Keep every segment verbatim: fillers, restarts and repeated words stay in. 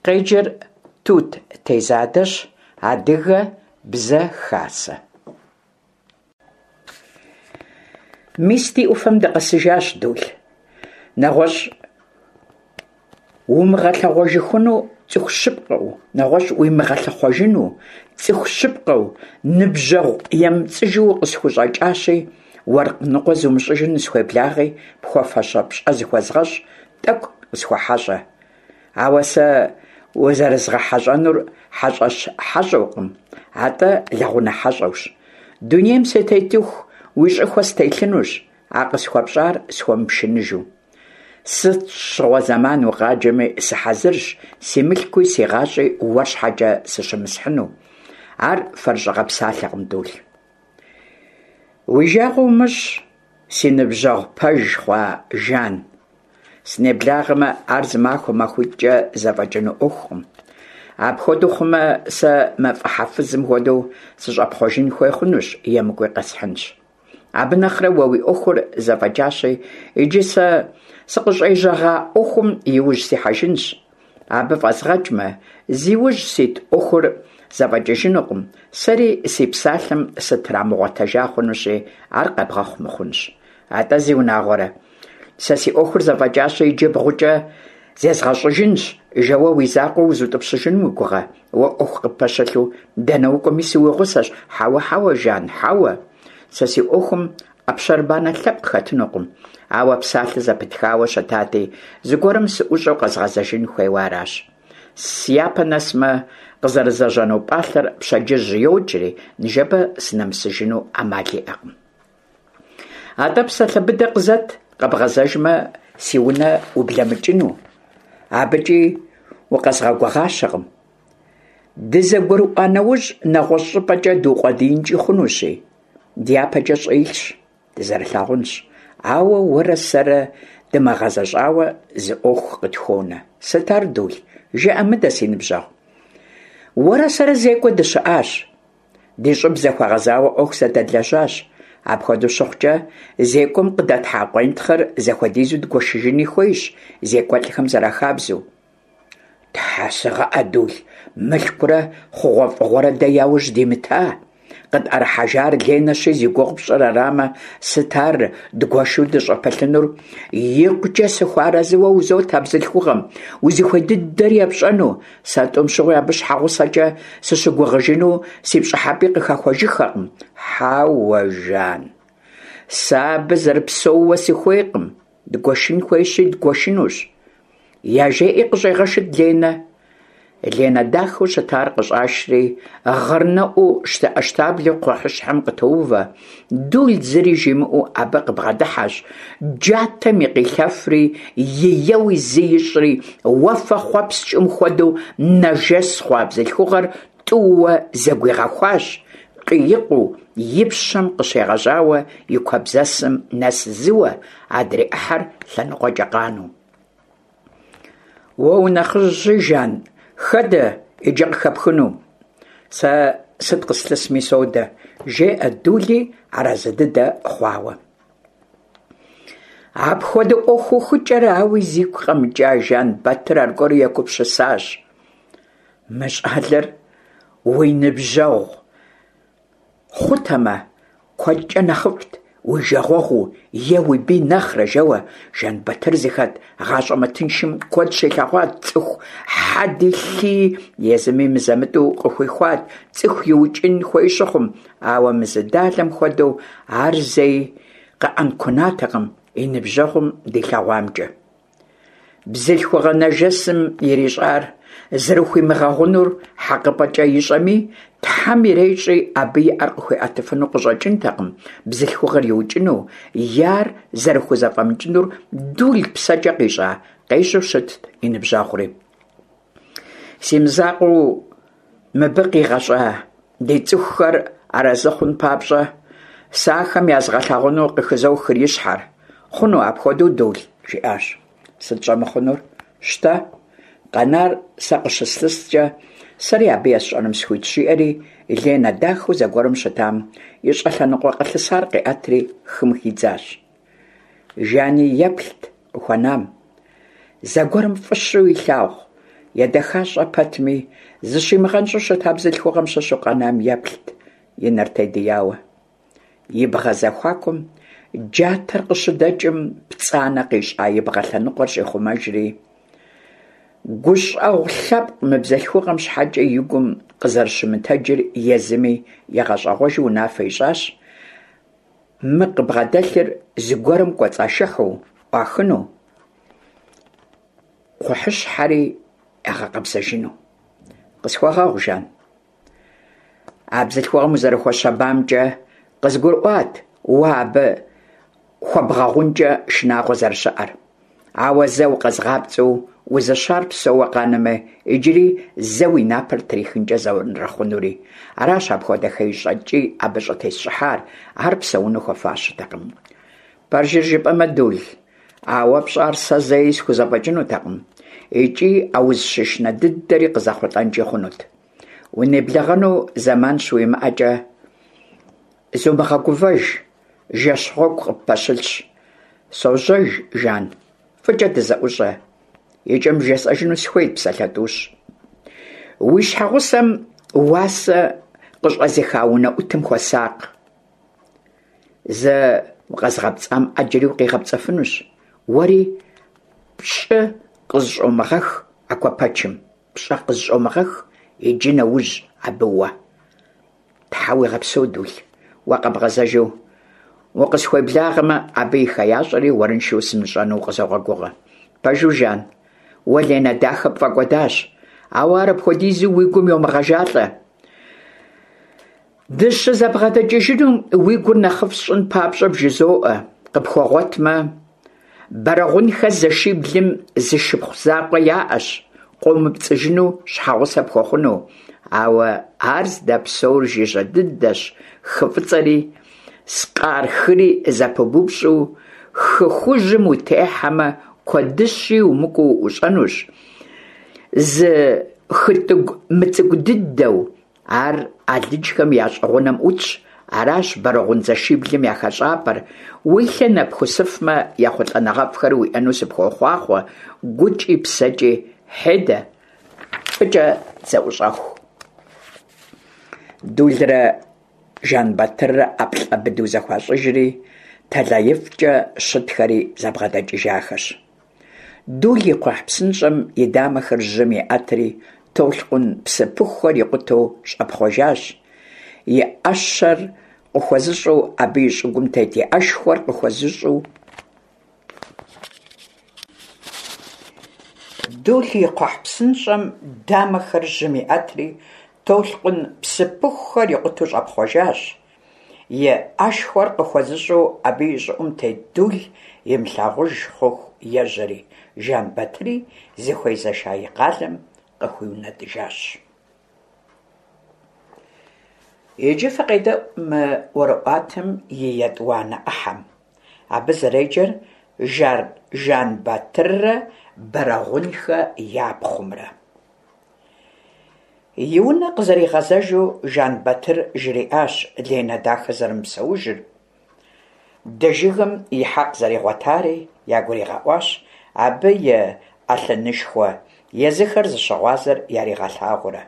Къеджэр Тут Тезадэщ. Адыгэ Бзэ Хасэ. Мис, ди Ӏуфэм дыкъэсыжащ, Дул. НэгъуэщӀ умыгъэлъэгъуэжыхуну цӀыху щыпкъэу, нэгъуэщӀ уимыгъэлъыхъуэжыну цӀыху щыпкъэу, ныбжьэгъу емыпцӀыжу укъысхущӀэкӀащи, уэркъ ныкъуэ зумыщӀыжу нысхуеблагъи, пхуэфащэ пщӀэ зыхуэзгъэщӀ, тӀэкӀу къысхуэхьэщӀэ. Ауэ сэ узэрызгъэхьэщӀэнур хьэщӀэщ хьэщӀэукъым, атӀэ лэгъунэ хьэщӀэущ. Дунейм сытетыху уи щӀыхуэ стелъынущ, а къысхуэпщӀар схуэмыпшыныжу. Сыт щыгъуэ зэман укъаджэми сыхьэзырщ, си мылъкуи си гъащӀи уэр щхьэкӀэ сыщымысхьыну. Ар фэрыщӀыгъэ псалъэкъым, Дул. Уи жагъуэ умыщӀ, си ныбжьэгъу пэж хъуа Жан. Сынеблагъэмэ, ар зы махуэ махуитӀкӀэ зэфӀэкӀыну Ӏуэхукъым. Апхуэдэу хъумэ, сэ мафӀэхьэ фызым хуэдэу сыщӀэпхъуэжын хуей хъунущ, емыкӀуи къэсхьынщ. Абы нэхърэ уэ уи Ӏуэхур зэфӀэкӀащи, иджы сэ сыкъыщӀежьэгъа Ӏуэхум и ужь сихьэжынщ. Абы фӀэзгъэкӀмэ, зи ужь сит Ӏуэхур зэфӀэкӀыжынукъым, сэри си псалъэм сытрамыгъуэтэжа хъунущи, ар къэбгъэхъу мыхъунщ. АтӀэ, зиунагъуэрэ, сэ си Ӏуэхур зэфӀэкӀащи, иджы бгъукӀэ зезгъэщӀыжынщ, жэуэ уи закъуэ узутӀыпщыжын уи гугъэ? Уэ Ӏуэху къыппэщылъу дэнэ укӀуэми сыуигъусэщ. Хьэуэ, хьэуэ, Жан, хьэуэ. Сэ си Ӏуэхум Ӏэпщэрыбанэ лъэпкъ хэтынукъым, ауэ псалъэ зэпытхауэ щытати, зыгуэрым сыӀущӀэу къэзгъэзэжын хуейуэ аращ. Сяпэ нэсмэ, къызэрызэжьэну пӀалъэр пщэдджыжь йокӀри, ныжэбэ сынэмысыжыну Ӏэмал иӀэкъым. АтӀэ псалъэ быдэ къызэт, къэбгъэзэжмэ, си унэ ублэмыкӀыну. АбыкӀи укъэзгъэгугъащэкъым. ДызэгурыӀуа нэужь, нэгъуэщӀ щӀыпӀэкӀэ дукъуэдиинкӀи хъунущи, дяпэкӀэ щӀы илъщ, дызэрылъагъунщ. Ауэ уэрэ сэрэ дымыгъэзэщӀауэ зы Ӏуэху къытхуонэ. Сыт ар, Дул? ЖыӀэ мыдэ, си ныбжьэгъу. Уэрэ сэрэ зекӀуэ дыщыӀащ. Ди щӀыб зэхуэгъэзауэ Ӏуэху зэдэдлэжьащ. Апхуэдэу щыхъукӀэ, зекӀуэм къыдэтхьа къуентхъыр зэхуэдизу дгуэшыжыни хуейщ, зекӀуэлӀхэм зэрахабзэу. Тхьэ сыгъыӀэ, Дул, мылъкурэ хъугъуэфӀыгъуэрэ дэ яужь димыта. КъытӀэрыхьэжар Ленэщи, зи гугъу пщӀыр арамэ, сыт ар дгуэшу дыщӀыпылъынур? ИкъукӀэ сыхуэарэзыуэ узот а бзылъхугъэм, узыхуей дыдэр епщӀэну. Сэ тӀум щыгъуи абы щхьэгъусэкӀэ сыщыгугъыжыну си пщӀыхьэпӀи къыхэхуэжыххэкъым. Хьэуэ, Жан, сэ абы зэрыпсэууэ сыхуейкъым. Дгуэшын хуейщи, дгуэшынущ. ЯжеӀи къыщӀегъэшыт Ленэ. Ленэ дахэу щытар къыщӀашри, гъырнэӀуу щтэӀэщтаблэу кхъухьыщхьэм къытоувэ. Дул зыри жимыӀэу абы къыбгъэдыхьэщ, джатэм и къилъэфри, и еуи зы ищӀри, уафэ хъуэпскӀым хуэдэу нэжэс хъуа бзылъхугъэр тӀууэ зэгуигъэхуащ, къиикъуу и пщэм къыщегъэжьауэ и куэбзэсым нэс зыуэ, адрей Ӏыхьэр лъэныкъуэкӀэ къанэу. Уэ унэхъыжьщи, Жан, хэдэ иджы къыхэпхыну? Сэ сыт къыслъысми содэ, жеӀэ Дули арэзы дыдэ хъуауэ. Апхуэдэ Ӏуэху ухыкӀэр ауи зигу къэмыкӀа Жан-Батыр аргуэру егупсысащ. Мы щӀалэр уи ныбжьэгъу хъутэмэ, куэдкӀэ нэхъыфӀт уи жагъуэгъуу е уи бий нэхърэ, жэуэ Жан-Батыр зыхэт гъащӀэ мытыншым куэд щилъэгъуат, цӀыху хьэди лъыи езыми мызэ-мытӀэу къыхуихуат, цӀыху иукӀын хуей щыхъум, ауэ мы зы далэм хуэдэу ар зэи къэӀэнкунатэкъым и ныбжьэгъум дилъэгъуамкӀэ. Бзылъхугъэ нэжэсым ирищӀар зэрыхуимыгъэгъунур хьэкъыпӀэкӀэ ищӀэми, Тхьэм ирещӀи, абы и Ӏэр къыхуэӀэтыфыну къыщӀэкӀынтэкъым бзылъхугъэр иукӀыну, е ар зэрыхузэфӀэмыкӀынур Дул псэкӀэ къищӀа, къещӀэу щытт и ныбжьэгъури. Си мызакъуэу мыбы къигъэщӀа ди цӀыхухэр арэзы хъун папщӀэ, сэ ахэм язгъэлъагъуну къыхызохыр и щхьэр. Хъуну апхуэдэу, Дул? жиӀащ. Сыт щӀэмыхъунур? Щтэ, къэнар сэ къыщыслъыскӀэ, сэри абы есщӀэным сыхуитщ, жиӀэри Ленэ дахэу зэгуэрым щытам и щӀэлъэныкъуэ къылъысар къиӀэтри хым хидзащ. Жани еплът къыхуэнам. Зэгуэрым фӀыщэу илъагъу Едэхащӏэ пэтми, зыщимыгъэнщӏу щыта бзылъхугъэм щыщу къэнам еплът и нэр тедияуэ. И бгъэ зэхуакум джатэр къыщыдэкӏым, пцӏанэ къищӏа и бгъэ лъэныкъуэр щӏихъумэжри, гущӏэгъу лъэпкъ мы бзылъхугъэм щхьэкӏэ и гум къызэрыщымытэджыр езыми игъэщӏэгъуэжу унафэ ищӏащ мы къыбгъэдэлъыр зыгуэрым кӏуэцӏашыхьу ӏуахыну, кхъухьыщхьэри ягъэкъэбзэжыну. Къысхуэгъэгъу, Жан. А бзылъхугъэм узэрыхуэщэбамкӏэ къызгурыӏуат уэ абы хуэбгъэгъункӏэ шынагъуэ зэрыщыӏэр. Ауэ зэ укъэзгъапцӏэу узыщар псэууэ къанэмэ, иджыри зэ уи напэр трихынкӏэ зэрыхъунури. Аращ апхуэдэ хеищӏэ ткӏий абы щӏытесщӏыхьар, ар псэуну хуэфащэтэкъым. Пэжыр жыпӏэмэ, Дул, а уэ пщӏар сэ зэи схузэфӏэкӏынутэкъым, икӏи а узыщышынэ дыдэри къызэхъулӏэнкӏи хъунут. Унеблэгъэну зэман щыуимыӏэкӏэ, зумыгъэгувэж, жэщ гъуэгу къыппэщылъщ. Сожьэж, Жан, фӏыкӏэ дызэӏущӏэ. Икӏэм бжесӏэжыну сыхуейт псалъэ тӏущ. Уи щхьэгъусэм уасэ къыщӏэзыха унэӏутым хуэсакъ. Зэ укъэзгъэпцӏам ӏэджэри укъигъэпцӏэфынущ. Уэри пщӏы къызыщӏомыгъэх а куэпэчым, пщӏэ къызыщӏомыгъэх иджы нэужь абы уэ. Тхьэ уигъэпсэу, Дул, уэ къэбгъэзэжу укъысхуеблагъэмэ, абы и хеящӏэри уэрыншэу сымыщӏэну укъызогъэгугъэ. Пэжу, Жан, уэ Ленэ дахэ пфӏэкӏуэдащ, ауэ ар апхуэдизу уи гум йомыгъэжалӏэ. Дыщызэбгъэдэкӏыжынум уи гур нэхъыфӏ сщӏын папщӏэ бжызоӏэ, къыпхуэгъуэтмэ, Бэрэгъунхэ зэшиблым зы шыпхъу закъуэ яӏэщ, къомыпцӏыжыну щхьэгъусэ пхуэхъуну, ауэ ар здэпсэур жыжьэ дыдэщ, хы фӏыцӏэри скъар хыри зэпыбупщӏу хы хужьым утехьэмэ, куэдыщи умыкӏуэу уӏущӏэнущ, зы хытӏыгу мыцӏыкӏу дыдэу, ар алыджхэм я щӏы гъунэм ӏутщ, аращ Бэрэгъун зэшиблым я хэщӏапӏэр. Уи лъэ нэпхусыфмэ, ехъулӏэныгъэфӏхэр уиӏэну сыпхуохъуахъуэ, гукӏи псэкӏи хьедэ, фӏыкӏэ дызэӏущӏэху. Дулрэ Жэнбатыррэ ӏэплӏэ быдэу зэхуащӏыжри, тэлаифӏкӏэ щытхэри зэбгъэдэкӏыжахэщ. Дул и кхъухь псынщӏэм и дамэхэр жьым иӏэтри, толъкъун псыпыхухэр икъутэу щӏэпхъуэжащ. И ӏэщэр къыхуэзыщӏу абы и щӏыгум тет и ӏэшхуэр къыхуэзыщӏу Дул и кхъухь псынщӏэм дамэхэр жьым иӏэтри, толъкъун псыпыхухэр икъутэу щӏэпхъуэжащ. И ӏэшхуэр къыхуэзыщӏу абы и щӏыӏум тет Дул имылъагъуж хъуху ежьэри, Жэнбатыри зыхуезэша и къалэм къыхуиунэтӏыжащ. Иджы фыкъедэӏу мы ӏуэрыӏуатэм и етӏуанэ ӏыхьэм. Абы зэреджэр Жэнбатыррэ Бэрэгъунхэ я пхъумрэ. И унэ къызэригъэзэжу Жэнбатыр жриӏащ Ленэ дахэ зэрымыпсэужыр, Дэжыгым и хьэкъ зэригъуэтари ягуригъэӏуащ, абы и ӏэлъынышхуэ езыхэр зыщыгъуазэр яригъэлъагъуурэ.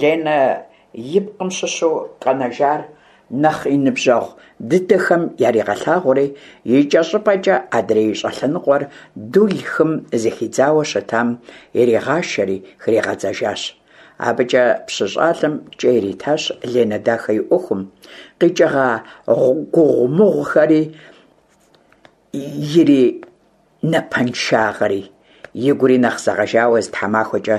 Ленэ и пкъым щыщу къэнэжар нэхъ и ныбжьэгъу дыдэхэм яригъэлъагъури, икӏэщӏыпӏэкӏэ адрей и щӏэлъэныкъуэр Дул хым зыхидзауэ щытам иригъашэри хригъэдзэжащ. Абыкӏэ пщы щӏалэм кӏэ иритащ Ленэ дахэ и ӏуэхум, къикӏыгъа гугъумыгъухэри иринапэншагъэри. Игури нэхъ зэгъэжауэ зы тхьэмахуэкӏэ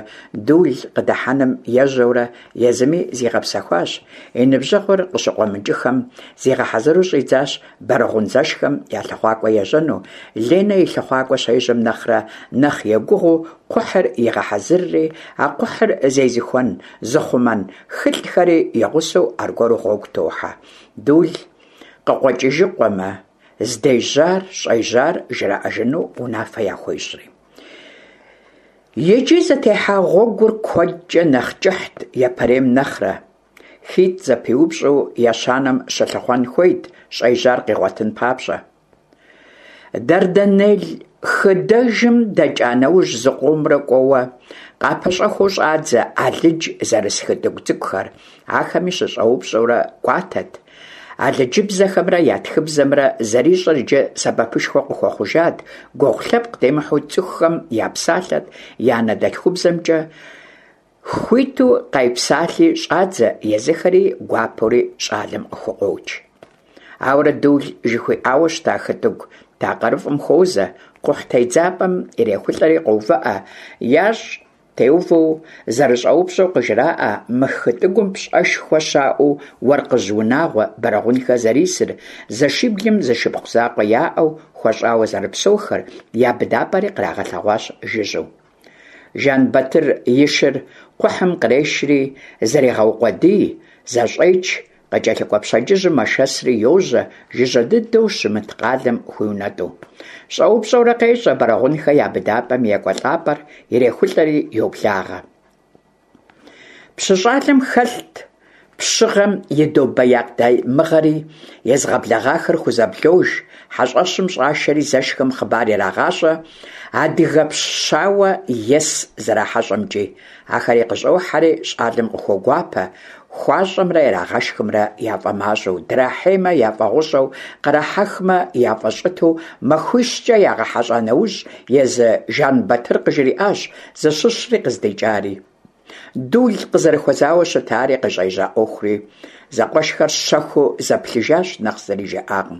Дул къыдыхьэным ежьэурэ езыми зигъэпсэхуащ. И ныбжьэгъур къыщыкъуэмыкӏыхэм зигъэхьэзыру щӏидзащ Бэрэгъун зэшхэм я лъыхъуакӏуэ ежьэну. Ленэ и лъыхъуакӏуэ щежьэм нэхърэ нэхъ егугъуу кхъухьыр игъэхьэзырри, а кхъухьыр зезыхуэн, зыхъумэн хылӏхэри и гъусэу аргуэру гъуэгу тохьэ. Дул къыкъуэкӏыжыкъуэмэ, здежьар, щӏежьар жраӏэжыну унафэ яхуещӏри. Иджы зытехьа гъуэгур куэдкӏэ нэхъ кӏыхьт япэрейм нэхърэ. Хитӏ зэпиупщӏу ещанэм щылъыхъуэн хуейт щӏежьар къигъуэтын папщӏэ. Дэрдэнел Хыдэжым дэкӀа нэужь, зыкъомрэ кӀуэуэ, къапэщӀэхуэу щӀадзэ алыдж зэрыс хытӀыгу цӀыкӀухэр, ахэми щыщӀэупщӀэурэ кӀуатэт. Алыджыбзэхэмрэ я тхыбзэмрэ зэрищӀэр иджы сэбэпышхуэ къыхуэхъужат, гугъу лъэпкъ демыхьу цӀыхухэм япсалъэт я анэдэлъхубзэмкӀэ, хуиту къайпсалъи щӀадзэ, езыхэри гуапэури щӀалэм къыхукъуокӀ. Ауэрэ Дул жыхуиӀауэ щыта хытӀыгу такъырыфӀым хуозэ, кхъухь тедзапӀэм ирехулӀэри къоувыӀэ, ящӀ теувэу зэрыщӀэупщӀэу къыжраӀэ мы хытӀыгум пщӀэшхуэ щаӀэу уэркъыжь унагъуэ Бэрэгъунхэ зэрисыр, зэшиблым зы шыпхъу закъуэ яӀэу, хуэщӀауэ зэрыпсэухэр, я быдапӀэри кърагъэлъэгъуащ жыжьэу. Жэнбатыр и шыр кхъухьым кърешри зрегъэукъуэдий, зэщӀеч, къыкӀэлъыкӀуэ пщэдджыжьым мэшэсри йожьэ, жыжьэ дыдэу щымыт къалэм хуиунэтӀу. ЩӀэупщӀэурэ къещӀэ Бэрэгъунхэ я быдапӀэм и екӀуэлӀапӀэр, ирехулӀэри йоблагъэ. Пщы щӀалэм хэлът пщыгъэм и домбеякъ дамыгъэри, езыгъэблэгъахэр хузэблож, хьэщӀэщым щӀашэри зэшхэм хъыбар ирагъащӀэ адыгэпщ щауэ ес зэрахьэщӀэмкӀи. Ахэри къыщӀохьэри щӀалэм къыхуогуапэ, хуащӀэмрэ ирагъэшхымрэ яфӀэмащӀэу, драхьеймэ яфӀэгъущӀэу, кърахьэхмэ яфӀэщӀыту махуищкӀэ ягъэхьэщӀа нэужь, езы Жэнбатыр къыжриӀащ зыщыщри къыздикӀари, Дул къызэрыхуэзауэ щытари, къыщӀежьа Ӏуэхури. Зэкъуэшхэр щэхуу зэплъыжащ, нэхъ зыри жаӀакъым.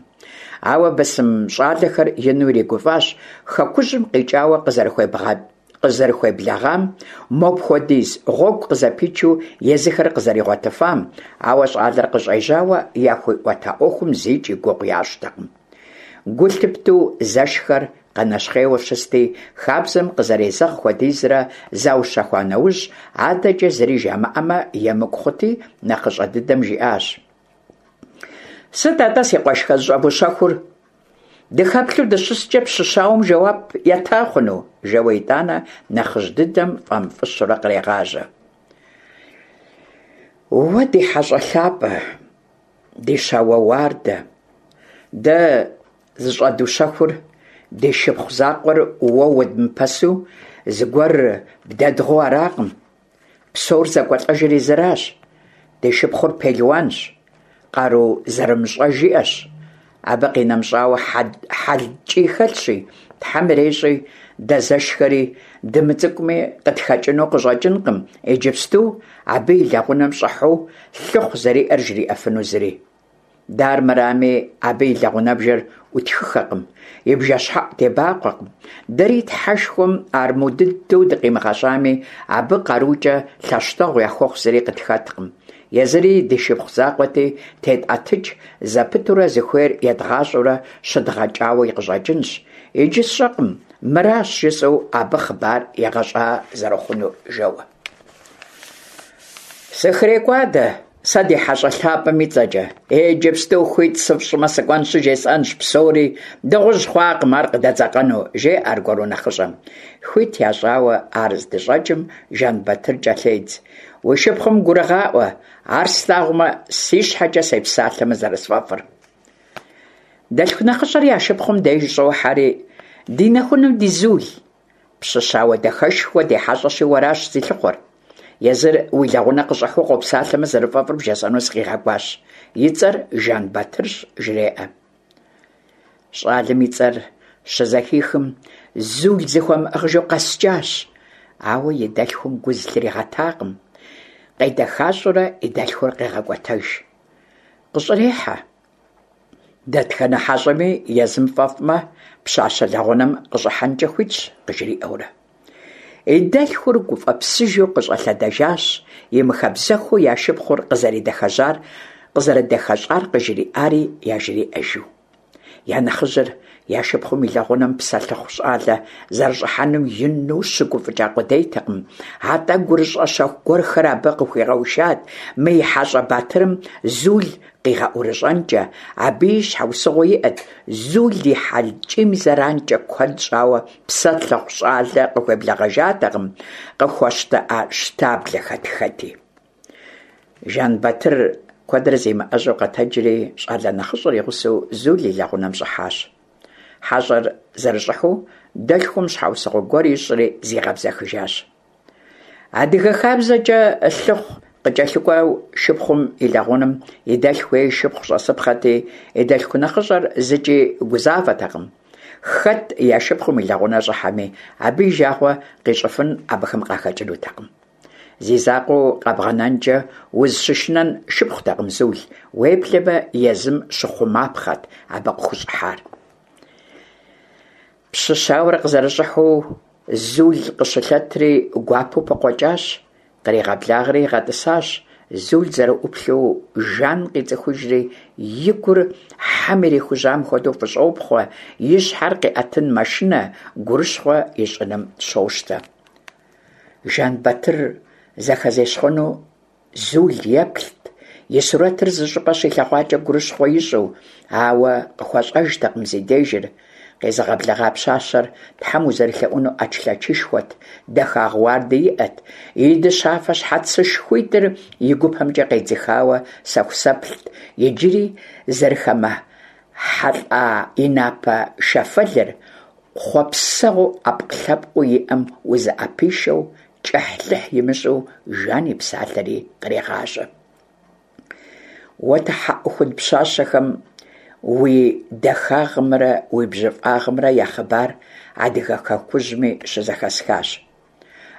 Ауэ бысым щӀалэхэр ину иригуфӀащ хэкужьым къикӀауэ къызэрыхуеблэгъам, мопхуэдиз гъуэгу къызэпичу езыхэр къызэригъуэтыфам, ауэ щӀалэр къыщӀежьауэ яхуиӀуэта Ӏуэхум зикӀ и гугъу ящӀтэкъым. Гу лъыптэу зэшхэр къэнэщхъейуэ щысти, хабзэм къызэрезэгъ хуэдизрэ заущэхуа нэужь, адэкӀэ зыри жамыӀэмэ емыкӀу хъути, нэхъыщӀэ дыдэм жиӀащ: «Сыт атӀэ, си къуэшхэр, зыщӀэвущэхур? Дыхэплъэу дыщыскӀэ пщы щауэм жэуап ета хъуну?» жэуэ итӀанэ нэхъыжь дыдэм фӀэмыфӀыщэурэ кърегъажьэ: «Уэ ди хьэщӀэ лъапӀэ, ди щауэ уардэ, дэ зыщӀэдущэхур ди шыпхъу закъуэр уэ уэдмыпэсу зыгуэр бдэдгъэу аракъым. Псор зэкӀуэлӀэжыр езыращ. Ди шыпхъур пелуанщ, къару зэрымыщӀэж иӀэщ. Абы къинэмыщӀауэ хьэл ткӀий хэлъщи, Тхьэм ирещӀи, дэ зэшхэри дымыцӀыкӀуми къытхэкӀыну къыщӀэкӀынкъым иджыпсту абы и лэгъунэм щӀыхьэу лъыхъу зэриӀэр жриӀэфыну зыри. Дэ армырами абы и лэгъунэбжэр Ӏутхыхэкъым, и бжэщхьэӀу дебакъуэкъым. Дэри Тхьэшхуэм армэу дыдэу дыкъимыгъэщӀами, абы къарукӀэ лъэщтэгъу яхуэхъу зыри къытхэткъым. Езыри ди шыпхъу закъуэти, тетӀэтыкӀ зэпытурэ зыхуейр едгъащӀэурэ щыдгъэкӀауэ къыщӀэкӀынщ. Иджы сщӀэкъым, мыращ жысӀэу абы хъыбар егъэщӀа зэрыхъунур», жэуэ. «СыхрекӀуадэ сэ ди хьэщӀэ лъапӀэм и цӀэкӀэ. Иджыпсту хуит сыфщӀмэ, сыкӀуэнщи жесӀэнщ псори, дыгъужь хъуакъым ар къыдэдзэкъэну», жеӀэ аргуэру нэхъыщӀэм. Хуит ящӀауэ ар здыщӀэкӀым, Жэнбатыр кӀэлъедз: «Уи шыпхъум гурыгъаӀуэ, ар слъагъумэ, си щхьэкӀэ сепсалъэмэ зэрысфӀэфӀыр». Дэлъху нэхъыщӀэр я шыпхъум деж щӀохьэри: «Ди нэхунэм ди Зул, пщы щауэ дахэшхуэ ди хьэщӀэщи уэращ зилъыхъуэр. Езыр уи лэгъунэ къыщӀыхьэу къопсалъэмэ зэрыфӀэфӀыр бжесӀэну сыкъигъэкӀуащ. И цӀэр Жэнбатырщ», жреӀэ. ЩӀалэм и цӀэр щызэхихым, Зул зыхуэмыӀыгъыжу къэскӀащ, ауэ и дэлъхум гу зылъригъэтакъым. КъедэхащӀэурэ и дэлъхур къегъэкӀуэтэж. КъыщӀрехьэ. Дэтхэнэ хьэщӀэми езым фӀэфӀмэ, пщащэ лэгъунэм къыщӀыхьэнкӀэ хуитщ, къыжриӀэурэ. И дэлъхур гуфӀэпсыжу къыщӀэлъэдэжащ, имыхабзэххэу я шыпхъур къызэредэхэщӀар къызэрыдэхэщӀар къыжриӀари яжриӀэжу. Я нэхъыжьыр я шыпхъум и лэгъунэм псэлъыхъу щӀалэ зэрыщӀыхьэнум ину щыгуфӀыкӀа къудейтэкъым, атӀэ гурыщӀэ щэху гуэрхэр абы къыхуигъэушат мы и хьэщӀэ батырым Зул къигъэӀурыщӀэнкӀэ. Абыи щхьэусыгъуэ иӀэт: Зул и хьэл ткӀийм и зэранкӀэ куэд щӀауэ псэлъыхъу щӀалэ къыхуеблэгъэжатэкъым, къыхуэщтэӀэщтаблэхэт хэти. Жэнбатыр куэдрэ зимыӀэжьэу къэтэджри, щӀалэ нэхъыщӀэр и гъусэу Зул и лэгъунэм щӀыхьащ. Хьэщӏэр зэрыщӏыхьэу, дэлъхум щхьэусыгъуэ гуэр ищӏри зигъэбзэхыжащ. Адыгэ хабзэкӏэ лъыхъу къыкӏэлъыкӏуэу шыпхъум и лэгъунэм и дэлъху е и шыпхъу щӏэсыпхъэти, и дэлъху нэхъыщӏэр зыкӏи гузавэтэкъым. Хэт я шыпхъум и лэгъунэ щӏыхьэми, абы и жагъуэ къищӏыфын абыхэм къахэкӏынутэкъым. Зи закъуэу къэбгъэнэнкӏэ узыщышынэн шыпхъутэкъым Зул, уеблэмэ езым щыхъумапхъэт абы къыхущӏыхьар. Пщы щауэр къызэрыщӏыхьэу Зул къыщылъэтри гуапэу пыкъуэкӏащ, къригъэблагъэри игъэтӏысащ. Зул зэрыӏуплъэу Жан къицӏыхужри, и гур хьэм ирихужьам хуэдэу фӏыщӏопхъуэ, и щхьэр къиӏэтын мэшынэ, гурыщхъуэ ищӏыным щощтэ. Жэнбатыр зэхэзещхъуэну Зул еплът, и сурэтыр зыщӏыпӏэ щилъэгъуакӏэ гурыщхъуэ ищӏу, ауэ къыхуэщӏэжтэкъым зи дежыр. Къезыгъэблэгъа пщащэр Тхьэм узэрелъэӏуну ӏэчлъэчышхуэт, дахагъ уарди иӏэт, и дыщафэ щхьэцышхуитӏыр и гупэмкӏэ къедзыхауэ сэхусэплът, иджыри зэрыхэмыхьэлӏа и напэ шэфэлыр хъуэпсэгъуэу ӏэпкълъэпкъыу иӏэм узыӏэпишэу, кӏыхьлӏыхь имыщӏу Жан и псалъэри кърегъажьэ. Уэ тхьэӏухуд пщащэхэм уи дахагъымрэ уи бжьыфӏагъымрэ я хъыбар адыгэ хэкужьми щызэхэсхащ.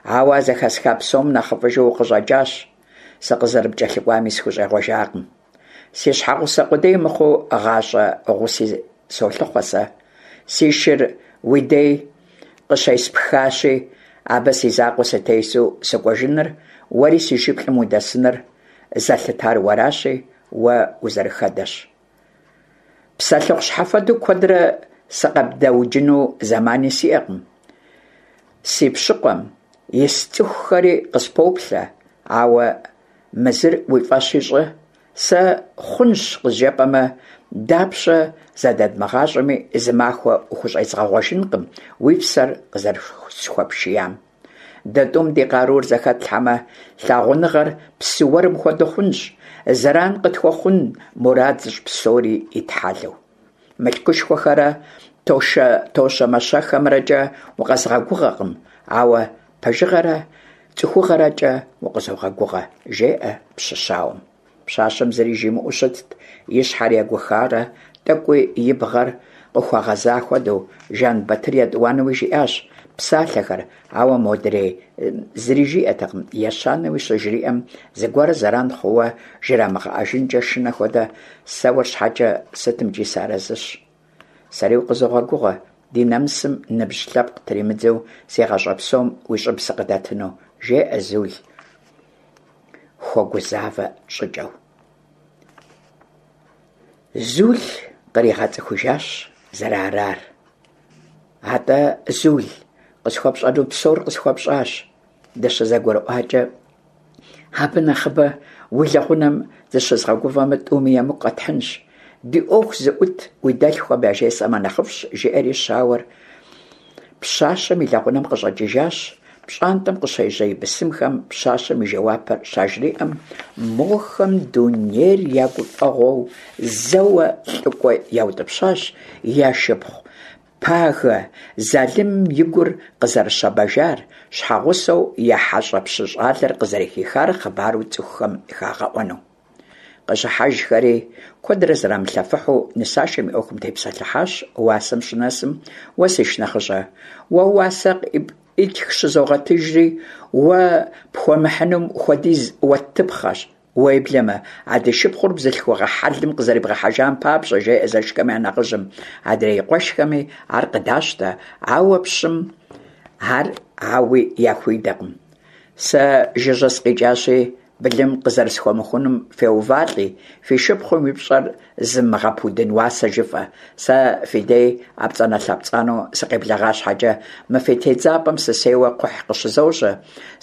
Ауэ а зэхэсха псом нэхъыфӏыжу укъыщӏэкӏащ, сыкъызэрыпкӏэлъыкӏуами сыхущӏегъуэжакъым. Си щхьэгъусэ къудей мыхъуу, гъащӏэ гъуси солъыхъуэ сэ. Си шыр уи дей къыщеспхащи, абы си закъуэ сытесу сыкӏуэжыныр, уэри си шыплӏэм удэсыныр зэлъытар уэращи, уэ узэрыхэдэщ. Псэлъыхъу щхьэфэду куэдрэ сыкъэбдэуджыну зэмани сиӏэкъым. Си пщыкъуэм ис цӏыхухэри къыспоплъэ, ауэ мы зыр уи фӏэщи щӏы, сэ хъунщ къызжепӏэмэ, дапщэ зэдэдмыгъащӏэми, зы махуэ ухущӏезгъэгъуэжынкъым уи псэр къызэрысхуэпшиям. Дэ тӏум ди къарур зэхэтлъхьэмэ, лъагъуныгъэр псы уэрым хуэдэу хъунщ, зэран къытхуэхъун мурад зыщӏ псори итхьэлэу. Мылъкушхуэхэрэ тощэ-мащэхэмрэкӏэ укъэзгъэгугъэкъым, ауэ пэжыгъэрэ цӏыхугъэрэкӏэ укъызогъэгугъэ, жеӏэ пщы щауэм. Пщащэм зыри жимыӏэу щытт, и щхьэр егухарэ тӏэкӏуи и бгъэр къыхуэгъэза хуэдэу. Жэнбатыр етӏуанэуи жиӏащ псалъэхэр, ауэ модрей зыри жиӏэтэкъым. Ещанэуи щыжриӏэм, зыгуэр зэран хъууэ жрамыгъэӏэжынкӏэ шынэ хуэдэ, сэ уэр щхьэкӏэ сытымкӏи сыарэзыщ. Сэри укъызогъэгугъэ, ди нэмысым ныбжь лъэпкъ тримыдзэу си гъащӏэ псом уи щӏыб сыкъыдэтыну, жеӏэ Зул хуэгузавэ щӏыкӏэу. Зул къригъэцӏыхужащ зэрыарар. Атӏэ, Зул, къысхуэпщӏэну псор къысхуэпщӏащ. Дыщызэгурыӏуакӏэ, абы нэхъыбэ уи лэгъунэм зыщызгъэгувэмэ, тӏуми емыкӏу къэтхьынщ. Ди ӏуэху зыӏут уи дэлъхухэм яжесӏэмэ нэхъыфӏщ, жиӏэри щауэр пщащэм и лэгъунэм къыщӏэкӏыжащ. Пщӏантӏэм къыщежьэ и бысымхэм пщащэм и жэуапыр щажриӏэм, мохэм дунейр я гуфӏэгъуэу зэуэ лӏыкӏуэ яутӏыпщащ я шыпхъу Пагэ залымым и гур къызэрыщэбэжар, щхьэгъусэу я хьэщӏэ пщы щӏалэр къызэрыхихар хъыбару цӏыхухэм хагъэӏуэну. Къыщӏыхьэжхэри, куэдрэ зэрамылъэфыхьу нысашэм и ӏуэхум тепсэлъыхьащ. Уасэм щынэсым, уэ си шынэхъыщӏэ, уэ уасэ къыӏитх щызогъэтыжри, уэ пхуэмыхьынум хуэдиз уэттыпхъэщ. Уеблэмэ, а ди шыпхъур бзылъхугъэ хьэлым къызэрибгъэхьэжам папщӏэ, жеӏэ зэшхэм я нэхъыжьым. Адрей и къуэшхэми ар къыдащтэ, ауэ пщым ар ауи яхуидэкъым. Сэ жыжьэ сыкъикӏащи, былым къызэрысхуэмыхунум феувалӏи, фи шыпхъум и пщӏэр зымыгъэпудын уасэ жыфӏэ. Сэ фи дей ӏэпцӏанэ-лъэпцӏанэу сыкъеблэгъа щхьэкӏэ, мы фи тедзапӏэм сысейуэ кхъухь къыщызожьэ,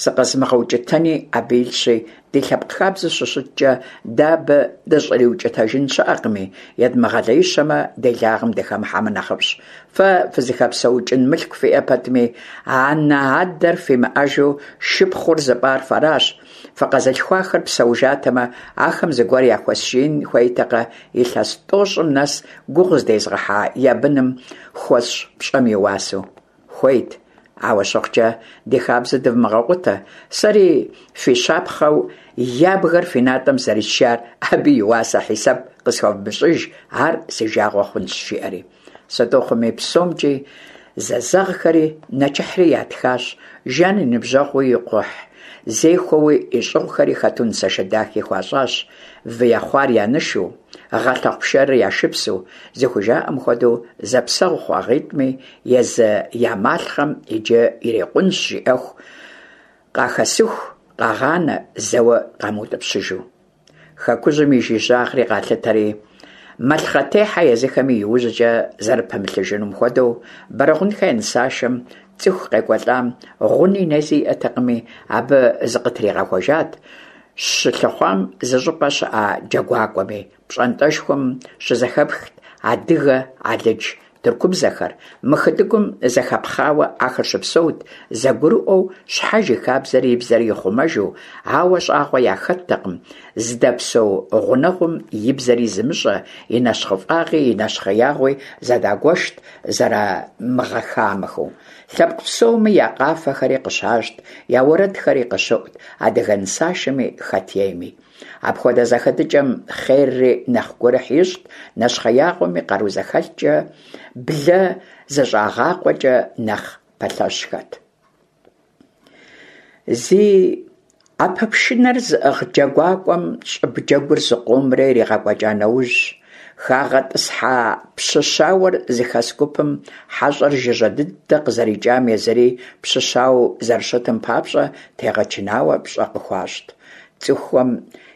сыкъэзымыгъэукӏытэни абы илъщи, ди лъэпкъ хабзэ щыщыткӏэ, дэ абы дыщӏриукӏытэжын щыӏэкъыми, едмыгъэлеищэмэ, делагъэм дыхэмыхьэмэ нэхъыфӏщ. Фэ фызыхэпсэукӏын мылъку фиӏэ пэтми, анэ-адэр фимыӏэжу шыпхъур зыпӏар фэращ, фыкъэзылъхуа Къэзмылъхуахэр псэужатэмэ, ахэм зыгуэр яхуэсшиин хуейтэкъэ илъэс тӀощӀым нэс гугъу зыдезгъэхьа я быным хуэсщӀ пщӀэм и уасэу? Хуейт! Ауэ щыхъукӀэ, ди хабзэ дывмыгъэкъутэ, сэри фи щапхъэу ябгэр фи натӀэм зэрисшар абы и уасэ хьисэп къысхуэвмыщӀыж, ар си жагъуэ хъунщ, жиӀэри. Сыту хъуми, псомкӀи зэзэгъхэри нэчыхьри ятхащ, Жан и ныбжьэгъууи и кхъухьзехуэуи и щӀыгъухэри хэту нысашэ дахи хуащӀащ, вы ехъуар я нышу, гъэлъэхъу пшэрыр я шыпсу, зыхужаӀэм хуэдэу зэпсэгъу хъуагъитӀми, езы я малъхъэм иджы ирикъунщ жиӀэху къахэсыху къагъанэ, зэуэ къамыутӀыпщыжу. Хэкужьым и жыжьагъри къалъытэри, малъхъэтехьэ езыхэми иужькӀэ зэрыпымылъыжынум хуэдэу, Бэрэгъунхэ я нысашэм цӀыху къекӀуэлӀам гъуни нэзи иӀэтэкъыми, абы зыкъытригъэхуэжат щылъыхъуам зыщӀыпӀэ щыӀа джэгуакӀуэми. ПщӀантӀэшхуэм щызэхэпхт адыгэ, алыдж, тыркубзэхэр, мы хытӀыгум зэхэпхъауэ ахэр щыпсэут, зэгурыӀуэу, щхьэж и хабзэри и бзэри ихъумэжу, ауэ щӀагъуэ яхэттэкъым зыдэпсэу гъунэгъум и бзэри зымыщӀэ, и нэщхъыфӀагъи и нэщхъеягъуи зэдагуэшт зэрымыгъэхамэхэу. Лъэпкъ псоми я къафэхэри къыщащӀт, я уэрэдхэри къыщыӀут адыгэ нысашэми хэт ейми. Апхуэдэ зэхэтыкӀэм хъерри нэхъ гурыхь ищӀт, нэщхъеягъуэми къару зэхэлъкӀэ, блэ зэщӀагъакъуэкӀэ нэхъ пэлъэщхэт. Зи Ӏэпэпшынэр зыӀыгъ джэгуакӀуэм щӀыб джэгур зыкъомрэ иригъэкӀуэкӀа нэужь, хагъэтӀысхьа пщы щауэр зыхэс гупым хьэщӀэр жыжьэ дыдэ къызэрикӀам, езыри пщы щауэу зэрыщытым папщӀэ тегъэчынауэ пщӀэ къыхуащӀт. ЦӀыхухэм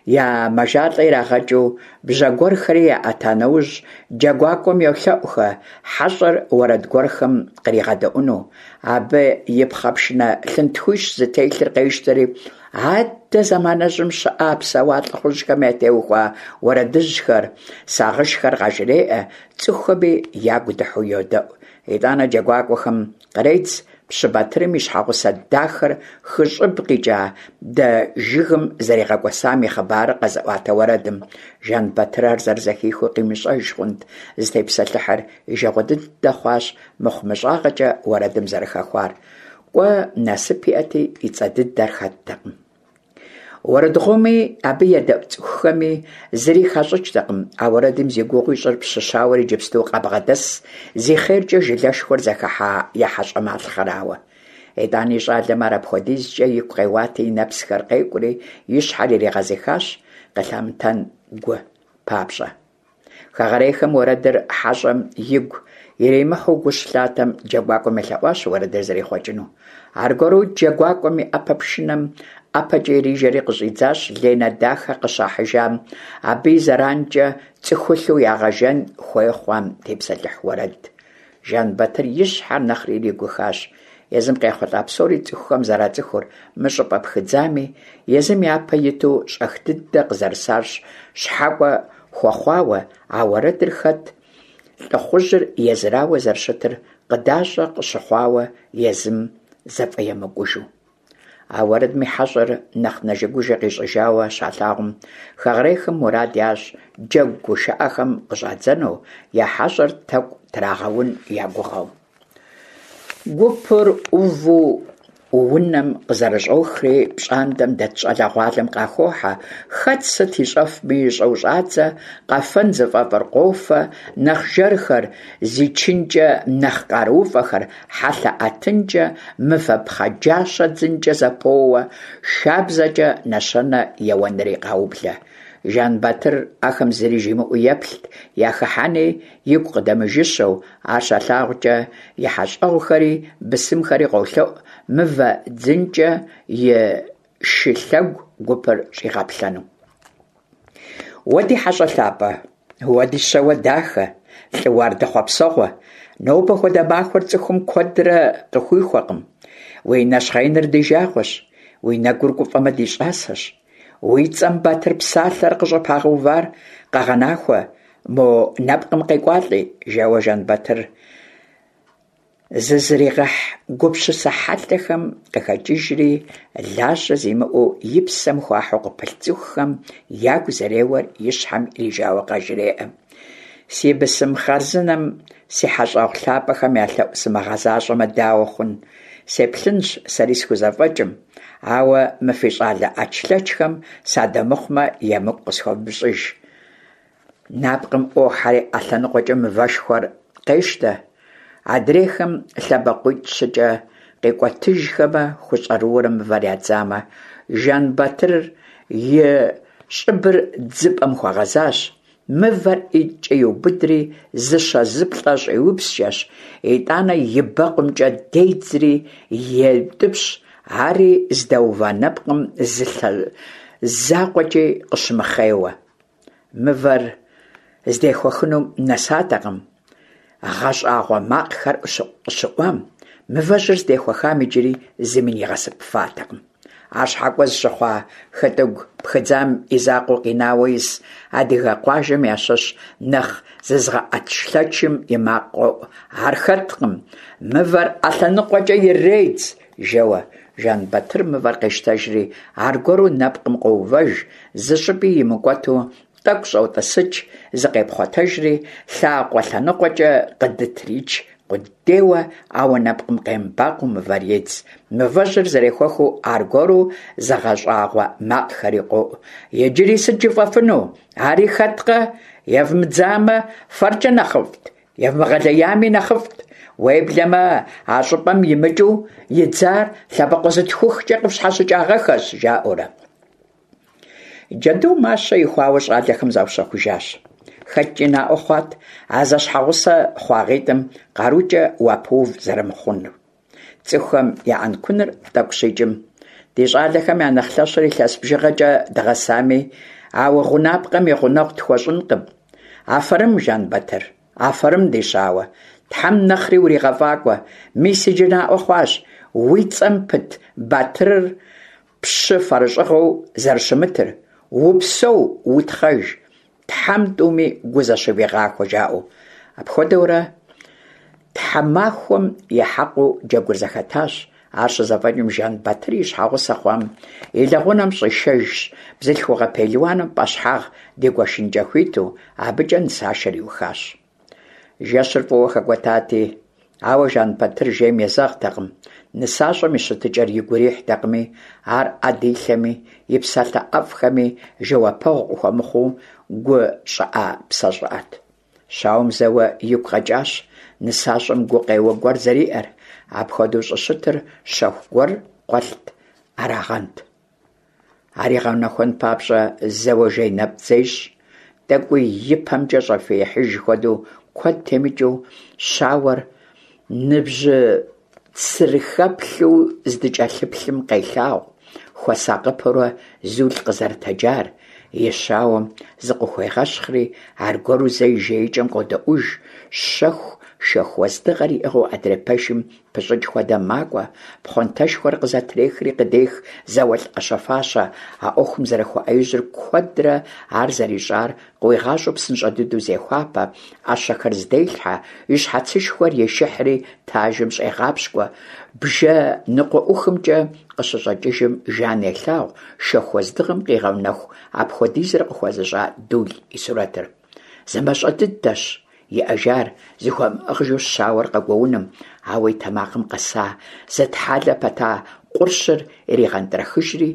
я мэжалӀэ ирагъэкӀыу бжьэ гуэрхэри яӀэта нэужь, джэгуакӀуэм йолъэӀухэ хьэщӀэр уэрэд гуэрхэм къригъэдэӀуэну. Абы и пхъэпшынэ лъынтхуищ зытелъыр къещтэри, аддэ зэманыжьым щыӀа, псэуа лӀыхъужьхэм ятеухуа уэрэдыжьхэр, сагъышхэр къажреӀэ, цӀыхухэми ягу дыхьэу йодэӀу. ИтӀанэ джэгуакӀуэхэм къредз пщы Батырым и щхьэгъусэ дахэр хы щӀыб къикӀа дэ жыгым зэригъэкӀуэсам и хъыбарыр къэзыӀуатэ уэрэдым. Жан-Батыр ар зэрызэхихыу къимыщӀэж хъунт зытепсэлъыхьыр, и жагъуэ дыдэ хъуащ мыхъумыщӀагъэкӀэ уэрэдым зэрыхэхуар. КӀуэ, насып иӀэти, и цӀэ дыдэр хэттэкъым. Уэрэдгъуоми абы едэӀу цӀыхухэми зыри хащӀыкӀтэкъым а уэрэдым зи гугъу ищӀыр пщы щауэр иджыпсту къабгъэдэс, зи хъеркӀэ жылэшхуэр зэхыхьа я хьэщӀэ малъхъэрауэ. ИтӀани щӀалэм ар апхуэдизкӀэ игу къеуати, и нэпсхэр къекӀури, и щхьэр иригъэзыхащ, къылъамытэн гу папщӀэ. Хэгъэрейхэм уэрэдыр хьэщӀэм игу иримыхьу гу щылъатэм, джэгуакӀуэм елъэӀуащ уэрэдыр зэрихъуэкӀыну. Аргуэру джэгуакӀуэм и Ӏэпэпшынэм ӀэпэкӀэ ирижэри къыщӀидзащ Ленэ дахэ къыщахьыжам, абы и зэранкӀэ цӀыхулъу ягъэжэн хуей хъуам тепсэлъыхь уэрэд. Жан-Батыр и щхьэр нэхъри иригухащ. Езым къехъулӀа псори цӀыхухэм зэрацӀыхур, мы щӀыпӀэ пхыдзами, езым япэ иту щӀэх дыдэ къызэрысар щхьэкӀуэ хуэхъуауэ, а уэрэдыр хэт лӀыхъужьыр езырауэ зэрыщытыр къыдащӀэ къыщыхъуауэ езым зэфӀэемыкӀужу. А уэрэдми хьэщӀэр нэхъ нэжэгужэ къищӀыжауэ щалъагъум, хэгъэрейхэм мурад ящӀ джэгу гушыӀэхэм къыщӀадзэну, я хьэщӀэр тэкӀу трагъэун я гугъэу. Гупыр Ӏуву унэм къызэрыщӀохри, пщӀантӀэм дэт щӀалэгъуалэм къахохьэ, хэт сыт ищӀэфми ищӀэу щӀадзэ, къэфэн зыфӀэфӀыр къофэ, нэхъ жэрхэр, зи чынкӀэ нэхъ къарууфӀэхэр, хьэлъэ ӀэтынкӀэ, мывэ пхъэджащэ дзынкӀэ зэпоуэ, шабзэкӀэ нэщэнэ еуэнри къаублэ. Жан-Батыр ахэм зыри жимыӀэу еплът, яхыхьэни игу къыдэмыжыщэу, ар щалъагъукӀэ и хьэщӀэгъухэри бысымхэри къолъэӀу мывэ дзынкӀэ и шы лъэгу гупыр щӀигъэплъэну. Уэ ди хьэщӀэ лъапӀэ, уэ ди щауэ дахэ, лӀы уардэ хъуэпсэгъуэ, нобэ хуэдэ махуэр цӀыхум куэдрэ къыхуихуэкъым. Уи нэщхъеиныр ди жагъуэщ, уи нэгур гуфӀэмэ ди щӀасэщ. Уи цӀэм Батыр псалъэр къыщӀыпагъэувар къэгъэнахуэ, мо нэпкъым къекӀуалӀи, жэуэ Жан-Батыр Зызригъэхь гупсысэ хьэлъэхэм къыхэкӀыжри, лажьэ зимыӀэу и псэм хуахьу къыпылъ цӀыхухэм ягу зэреуэр и щхьэм ирижауэ къажреӀэ: «Си бысым хъарзынэм, си хьэщӀэгъу лъапӀэхэм я лъэӀу сымыгъэзащӀэмэ, дауэ хъун? Сеплъынщ сэри схузэфӀэкӀым, ауэ мы фи щӀалэ Ӏэчлъэчхэм садэмыхъумэ, емыкӀу къысхуэвмыщӀыж». Нэпкъым Ӏуохьэри Ӏэ лъэныкъуэкӀэ мывэшхуэр къещтэ, адрейхэм лъэбакъуитӀ-щыкӀэ къикӀуэтыжхэмэ, хущӀэрыуэурэ мывэр ядзамэ, Жэнбатыр и щӀыбыр дзыпӀэм хуэгъэзащ, мывэр ӀитӀкӀэ иубыдри, зыщэ-зыплӀэ щӀиупскӀэщ, итӀанэ и бэкъумкӀэ дедзри еутӀыпщ, ари здэува нэпкъым зы лъэ закъуэкӀи къыщымыхъейуэ. Мывэр здехуэхынум нэсатэкъым гъэщӀагъуэ макъхэр къыщыӀуам, мывэжьыр здехуэхам иджыри зыми нигъэсыпатэкъым. Ар щхьэкӀуэ зыщыхъуа хытӀыгу пхыдзам и закъуэу къинауэ ис адыгэ къуажэм ящыщ нэхъ зызыгъэӀэчлъэчым и макъ къоӀу: «Ар хэткъым! Мывэр Ӏэ лъэныкъуэкӀэ иредз!» жэуэ. Жэнбатыр мывэр къещтэжри, аргуэру нэпкъым къоувэж, зыщӀыпӀи имыкӀуэту тӀэкӀу щӀотӀысыкӀ, зыкъепхъуэтэжри, лъакъуэ лъэныкъуэкӀэ къыдытрич къудейуэ, ауэ нэпкъым къемыбакъуэу мывэр едз. Мывэжьыр зэрехуэхыу аргуэру зыгъэщӀагъуэ макъхэри къоӀу: «Иджыри сыт жыфӀэфыну? Ари хэткъэ? Евмыдзамэ, фэркӀэ нэхъыфӀт, евмыгъэлеями нэхъыфӀт. Уеблэмэ, а щӀыпӀэм имыкӀыу идзар лъэбакъуэ зытхухкӀэ къыфщхьэщыкӀагъэххэщ», жаӀэурэ. Джэду мащэ ихуауэ щӀалэхэм заущэхужащ. ХэткӀи наӀуэ хъуат а зэщхьэгъусэ хъуагъитӀым къарукӀэ уапэув зэрымыхъунур. ЦӀыхухэм я Ӏэнкуныр тӀэкӀу щикӀым, ди щӀалэхэм я нэхъ лъэщыр илъэс бжыгъэкӀэ дгъэсами, а гъунапкъэм и гъунэгъу тхуэщӀынкъым. Афэрым, Жэнбатыр, афэрым, ди щауэ, Тхьэм нэхъри уригъэфӀакӀуэ, мис иджы наӀуэ хъуащ уи цӀэм пыт батырыр пщы фэрыщӀыгъэу зэрыщымытыр. Упсэу, утхъэж, Тхьэм тӀуми гу зэщывигъахуэ, жаӀэу. Апхуэдэурэ тхьэмахуэм и хьэкъыу джэгур зэхэтащ. Ар щызэфӀэкӀым, Жэнбатыр и щхьэгъусэ хъуам и лэгъунэм щӀишэжщ, бзылъхугъэ пелуаным пӀэщхьагъ дигуэшынкӀэ хуиту, абыкӀэ нысашэр иухащ. Жэщыр фӀыуэ хэкӀуэтати, ауэ Жэнбатыр жейм езэгътэкъым, нысащӀэм и щытыкӀэр игу ирихьтэкъыми, ар Ӏэ дилъэми, и псалъэ ӀэфӀхэми жэуапэгъу къыхуэмыхъуу гу щӀыӀэ-псэ щӀыӀэт. Щауэм зэуэ игу къэкӀащ нысащӀэм гукъеуэ гуэр зэриӀэр, апхуэдэу щӀыщытыр щэху гуэр къуэлът арагъэнт. Ар игъэнэхуэн папщӀэ зэуэ жейнэпцӀ зещӀ, тӀэкӀуи и пэмкӀэ щӀэфиихьыж хуэдэу куэд темыкӀыу щауэр ныбжьыцырыхэплъу здыкӀэлъыплъым къелъагъу, хуэсакъыпэурэ Зул къызэрытэджар, и щауэм зыкъыхуегъэщхъри, аргуэру зэ и жеикӀэм къодэӀуж, щэху шэху уэздыгъэр иӀыгъыу адрей пэшым пыщӀыкӀ хуэдэ макӀуэ, пхъуантэшхуэр къызэтрехри къыдех зауэлӀ Ӏэщэ-фащэ, а Ӏуэхум зэрыхуэӀэижьыр, куэдрэ ар зэрищӀар къыуигъащӀэу псынщӀэ дыдэу зехуапэ, Ӏэщэхэр зыделъхьэ, и щхьэцышхуэр ешыхьри тажым щӀегъапщкӀуэ, бжэ ныкъуэӀухымкӀэ къыщыщӀэкӀыжым Жан елъагъу шэху уэздыгъэм къигъэнэху апхуэдизыр къыхуэзыщӀа Дул и сурэтыр. ЗымащӀэ дыдэщ иӀэжар зыхуэмыӀыгъыжу щауэр къэгуоуным, ауэ и тэмакъым къэса, зытхьэлэ пэта къурщыр ирегъэнтӀрэхыжри,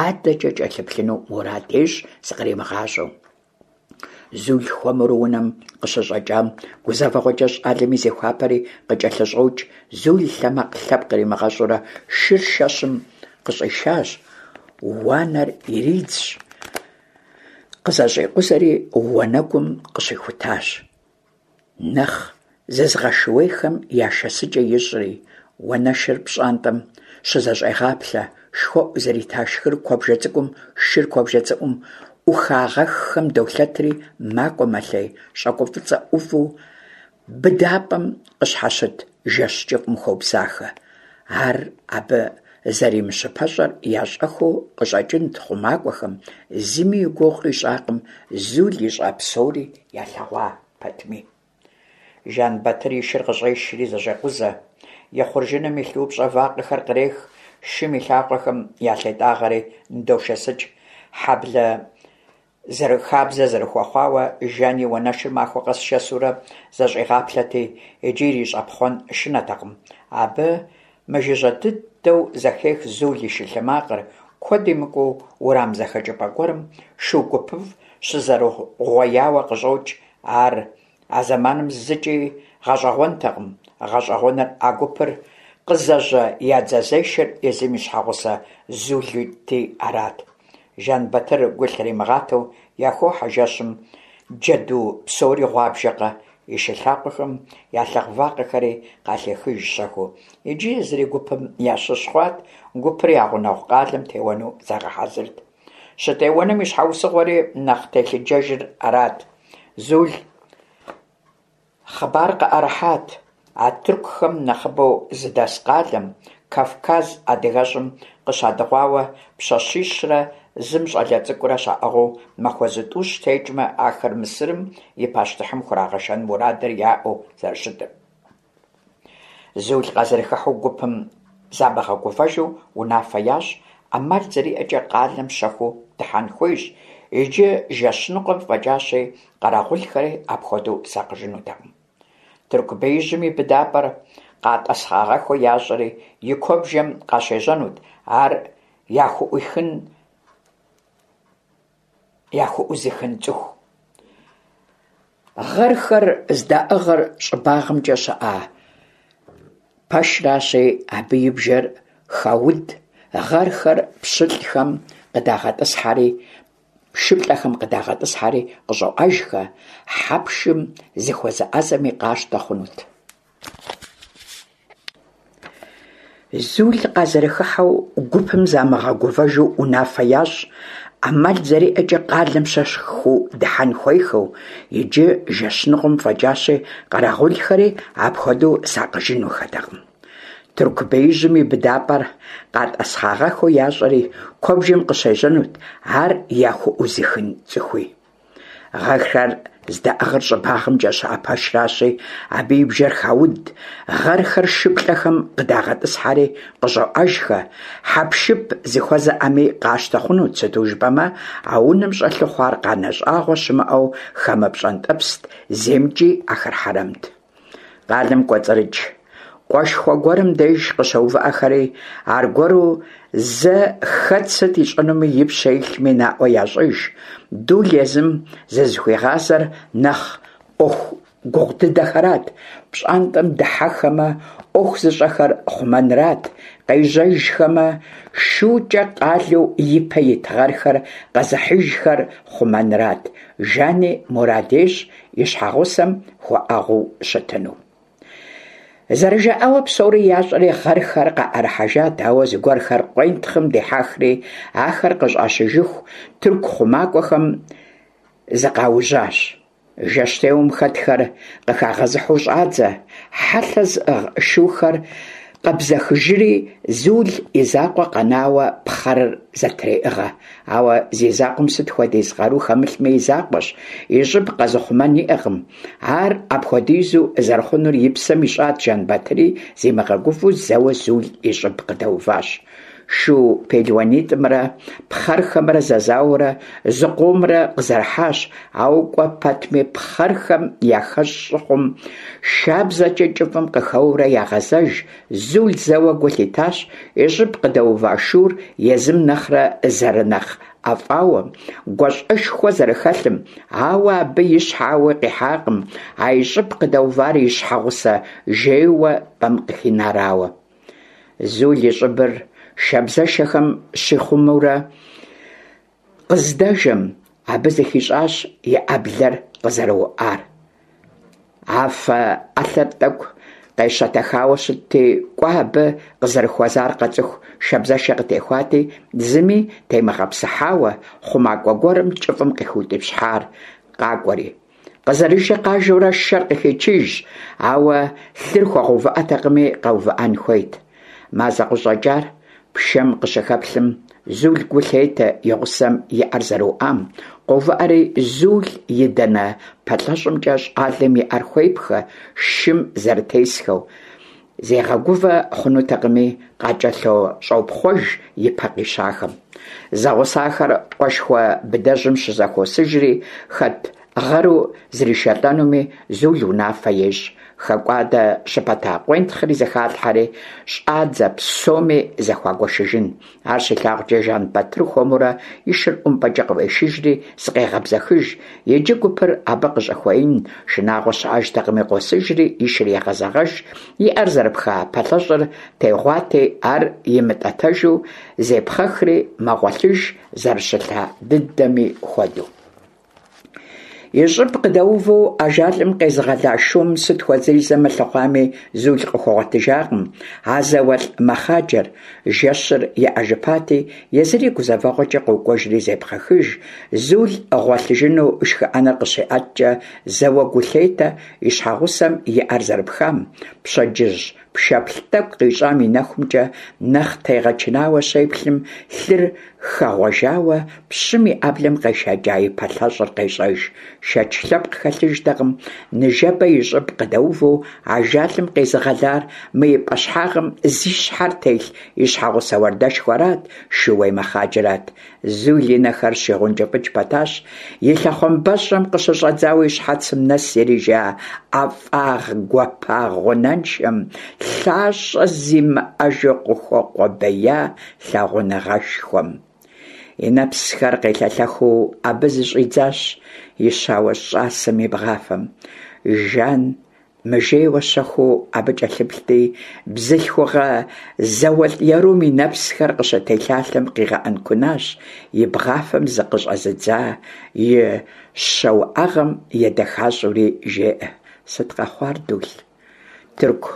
адэкӀэ кӀэлъыплъыну мурад ещӀ зыкъримыгъащӀэу. Зул хуэмурэ унэм къыщыщӀэкӀам, гузэвэгъуэкӀэ щӀалэми зехуапэри къыкӀэлъыщӀокӀ. Зул лъэмакъ лъэпкъ иримыгъэщӀурэ шыр шэщым къыщӀишащ, уанэр иридзщ, къызэщӀикъузэри уанэгум къыщыхутащ. Нэхъ зызыгъэшууейхэм я шэсыкӀэ ищӀри, уанэшыр пщӀантӀэм щызэщӀегъаплъэ, шхуэӀу зрита шхыр куэбжэ цӀыкӀум, шыр куэбжэ цӀыӀум Ӏухагъэххэм долъэтри макӀуэ-мэлъей, щӀакӀуэ фӀыцӀэ Ӏуву быдапӀэм къыщхьэщыт жэщ кӀыфӀым хобзахэ. Ар абы зэримыщыпэщӀэр ящӀэххэу къыщӀэкӀынт хъумакӀуэхэм, зыми и гугъу къищӀакъым, Зул ищӀа псори ялъэгъуа пэтми. Жэнбатыр и шыр къыщӀешри зэщӀекъузэ. И хъуржыным илъ упщӀэ вакъэхэр кърех, шым и лъакъуэхэм ялъетӀагъэри ныдошэсыкӀ. Хьэблэ хабзэ зэрыхуэхъуауэ, Жани уанэшыр махуэ къэс шэсурэ зэщӀигъаплъэрти, иджы ирищӀэпхъуэн шынэртэкъым. Абы мыжыжьэ дыдэу зэхех Зул и шы лъэ макъыр, куэд имыкӀуу уэрам зэхэкӀыпӀэ гуэрым шу гупыфӀ щызэрыугъуеяуэ къыщӀокӀ. Ар а зэманым зыкӀи гъэщӀэгъуэнтэкъым, гъэщӀэгъуэныр а гупыр къызэжьэ я дзэзешэр езым и щхьэгъусэ Зулти арат. Жэнбатыр гу лъримыгъатэу яхохьэ жэщым, джэду псори гъуабжэкъэ, и шы лъакъуэхэм ялъыгъ вакъэхэри къалъехыж щэхуу. Иджы езыри гупым ящыщ хъуат, гупыр я гъунэгъу къалэм теуэну загъэхьэзырт. ЩӀытеуэнум и щхьэусыгъуэри нэхъ телъыджэжыр арат: Зул хъыбар къыӀэрыхьат а тыркухэр нэхъыбэу зыдэс къалэм, Кавказ адыгэщӀым къыщадыгъуауэ пщащищрэ зы щӀалэ цӀыкӀурэ щаӀыгъыу, махуэ зытӀущ текӀмэ, ахэр Мысырым и пащтыхьым хурагъэшэн мурадыр яӀэу зэрыщытыр. Зул къазэрыхыхьэу гупым замыгъэгувэжу унафэ ящӀ: Ӏэмал зэриӀэкӀэ къалэм щэхуу дыхьэн хуейщ, иджы жэщ ныкъуэм фӀэкӀащи, къэрэгъулхэри апхуэдэу сакъыжынутэкъым. Тырку беижьым и быдапӀэр къатӀэсхъагъэххэу ящӀэри, и куэбжэм къыщежьэнут ар яхуӀузыхын цӀыху. Гъэрхэр здаӀыгъыр щӀыбагъымкӀэ щыӀэ пэшращи, абы и бжэр хауд, гъэрхэр шыплӀэхэм къыдагъэтӀысхьэри къыщӀоӀэжхэ, хьэпшым зыхуэзыӀэзэми къащтэ хъунут. Зул къазэрыхыхьэу гупым замыгъэгувэжу унафэ ящӀ: Ӏэмал зэриӀэкӀэ къалэм щэхуу дыхьэн хуейхэу, иджы жэщ ныкъуэм фӀэкӀащи, къэрэгъулхэри апхуэдэу сакъыжынухэтэкъым. Тырку беижьым и быдапӀэр къатӀэсхъагъэххэу ящӀэри, куэбжэм къыщежьэнут ар яхуӀузыхын цӀыхуи. Гъэрхэр здаӀыгъыр щӀыбагъымкӀэ щыӀэ пэшращи, абы и бжэр хауд, гъэрхэр шыплӀэхэм къыдагъэтӀысхьэри къыщӀоӀэжхэ, хьэпшып зыхуэзэӀэми къащтэ хъунут, сыту жыпӀэмэ а унэм щӀэлъу хъуар къанэ щӀагъуэ щымыӀэу хамэ пщӀэнтӀэпст, зеймкӀи ахэр хьэрэмт. Къалэм кӀуэцӀрыкӀ къуэшхуэ гуэрым деж къыщоувыӀэхэри, аргуэру зэ хэт сыт ищӀэнуми и пщэ илъми наӀуэ ящӀыж. Дул езым зызыхуигъазэр нэхъ Ӏуэху гугъу дыдэхэрат: пщӀантӀэм дыхьэхэмэ, Ӏуэху зыщӀэхэр хъумэнрат, къежьэжхэмэ, шукӀэ къалэу ипэ ит гъэрхэр къэзыхьыжхэр хъумэнрат. Жани мурад ещӀ и щхьэгъусэм хуэӀэгъуу щытыну. ЗэрыжаӀауэ псори ящӀэри гъэрхэр къаӀэрыхьэжат, ауэ зыгуэрхэр къуентхъым дихьэхри, ахэр къыщӀащыжыху тырку хъумакӀуэхэм зыкъаужьащ. Жэщтеуэм хэтхэр къыхагъэзыхьу щӀадзэ, хьэлъэ зыӀыгъ шухэр къэбзэхыжри, Зул и закъуэ къэнауэ пхъэрыр зэтреӀыгъэ. Ауэ зи закъуэм сыт хуэдиз къару хэмылъми и закъуэщ, и щӀыб къэзыхъумэн иӀэкъым. Ар апхуэдизу зэрыхъунур и псэм ищӀат Жэнбатыри, зимыгъэгувэу зэуэ Зул и щӀыб къыдэуващ. Шу пелуанитӀымрэ пхъэрхэмрэ зэзауэурэ зыкъомрэ къызэрыхьащ, ауэ кӀуэ пэтми пхъэрхэм яхэщӀ щыхъум, шабзэкӀэ кӀыфӀым къыхэуэурэ ягъэзэж. Зул зэуэ гу лъитащ и щӀыб къыдэува шур езым нэхърэ зэрынэхъ ӀэфӀауэм, гуащӀэшхуэ зэрыхэлъым, ауэ абы и щхьэ ауи къихьакъым а и щӀыб къыдэувар и щхьэгъусэ жейуэ пӀэм къыхинарауэ. Зул и щӀыбыр шабзэшэхэм щихъумэурэ къыздэжэм, абы зыхищӀащ и Ӏэблэр къызэрыуӀар. Афэ Ӏэлъэр тӀэкӀу къещэтэхауэ щытти, кӀуэ абы къызэрыхуэзар къэцӀыху шабзэшэ къытехуати, зыми темыгъэпсыхьауэ, хъумакӀуэ гуэрым кӀыфӀым къыхиутӀыпщхьар къакӀуэри. Къызэрыжэ къажэурэ шэр къыхичыжщ, ауэ лъыр хуэгъэувыӀэтэкъыми, къэувыӀэн хуейт. Мазэ къыщӀэкӀар пшэм къыщыхэплъым, Зул гу лъетэ и гъусэм и Ӏэр зэрыуӀам. КъоувыӀэри, Зул и данэ пэлъэщӀымкӀэ щӀалэм и Ӏэр хуепхэ, шым зэрытесхэу. Зегъэгувэ хъунутэкъыми, къакӀэлъощӀопхъуэж ипэ къищахэм. Зэгъусахэр къуэшхуэ быдэжьым щызэхуосыжри, хэт гъэру зришэлӀэнуми Зул унафэ ещӀ. ХэкӀуадэ щыпэта къуентхъри зэхалъхьэри, щӀадзэ псоми зэхуагуэшыжын. Ар щилъагъукӀэ, Жэнбатыр хуэмурэ и шыр ӀумпӀэкӀэ къыӀуешыжри зыкъегъэбзэхыж. Иджы гупыр абы къыщӀыхуеин шынагъуэ щыӀэжтэкъыми, къосыжри и шыр егъэзэгъэж, и Ӏэр зэрыпха пэлъэщӀыр тегъуати, ар имытӀэтэжу зепхъэхри мэгъуэлъыж, зэрыщылъа дыдэми хуэдэу. И щӀыб къыдэувэу ажалым къезыгъэла шум сыт хуэдизрэ мылъыхъуами, Зул къыхуэгъуэтыжакъым а зауэлӀ мэхъаджэр. Жэщыр еӀэжыпати, езыри гузэвэгъуэкӀэ къокӀуэжри зепхъэхыж. Зул гъуэлъыжыну шхыӀэныр къыщиӀэткӀэ, зэуэ гу лъетэ и щхьэгъусэм и Ӏэр зэрыпхам. Пщэдджыжь пшэплъ тӀэкӀу къищӀам и нэхумкӀэ нэхъ тегъэчынауэ щеплъым, лъыр хэгъуэжауэ пщым и Ӏэблэм къешэкӀа и пэлъэщӀыр къещӀэж. Шэч лъэпкъ хэлъыжтэкъым ныжэбэ и щӀыб къыдэувэу ажалым къезыгъэлар мы и пӀэщхьагъым зи щхьэр телъ и щхьэгъусэ уардэшхуэрат, шууей мэхъаджэрат. Зул и нэхэр щигъункӀыфӀыкӀ пэтащ, и лъэхъуамбэщӀэм къыщыщӀэдзауэ и щхьэцым нэс ирижа ӀэфӀагъ-гуапагъ гъунэншэм, лъащӀэ зимыӀэжу къыхуэкъуэбея лъагъуныгъэшхуэм. И нэпсхэр къелъэлъэхыу абы зыщӀидзащ и щауэ щӀасэм и бгъафэм. Жан мыжейуэ щэхуу абы кӀэлъыплъти, бзылъхугъэ зауэлӀ ерум и нэпсхэр къыщытелъалъэм къигъэӀэнкунащ, и бгъафэм зыкъыщӀэзыдза и щэуӀэгъэм едэхащӀэури жеӀэ: «Сыт къэхъуар, Дул? Тырку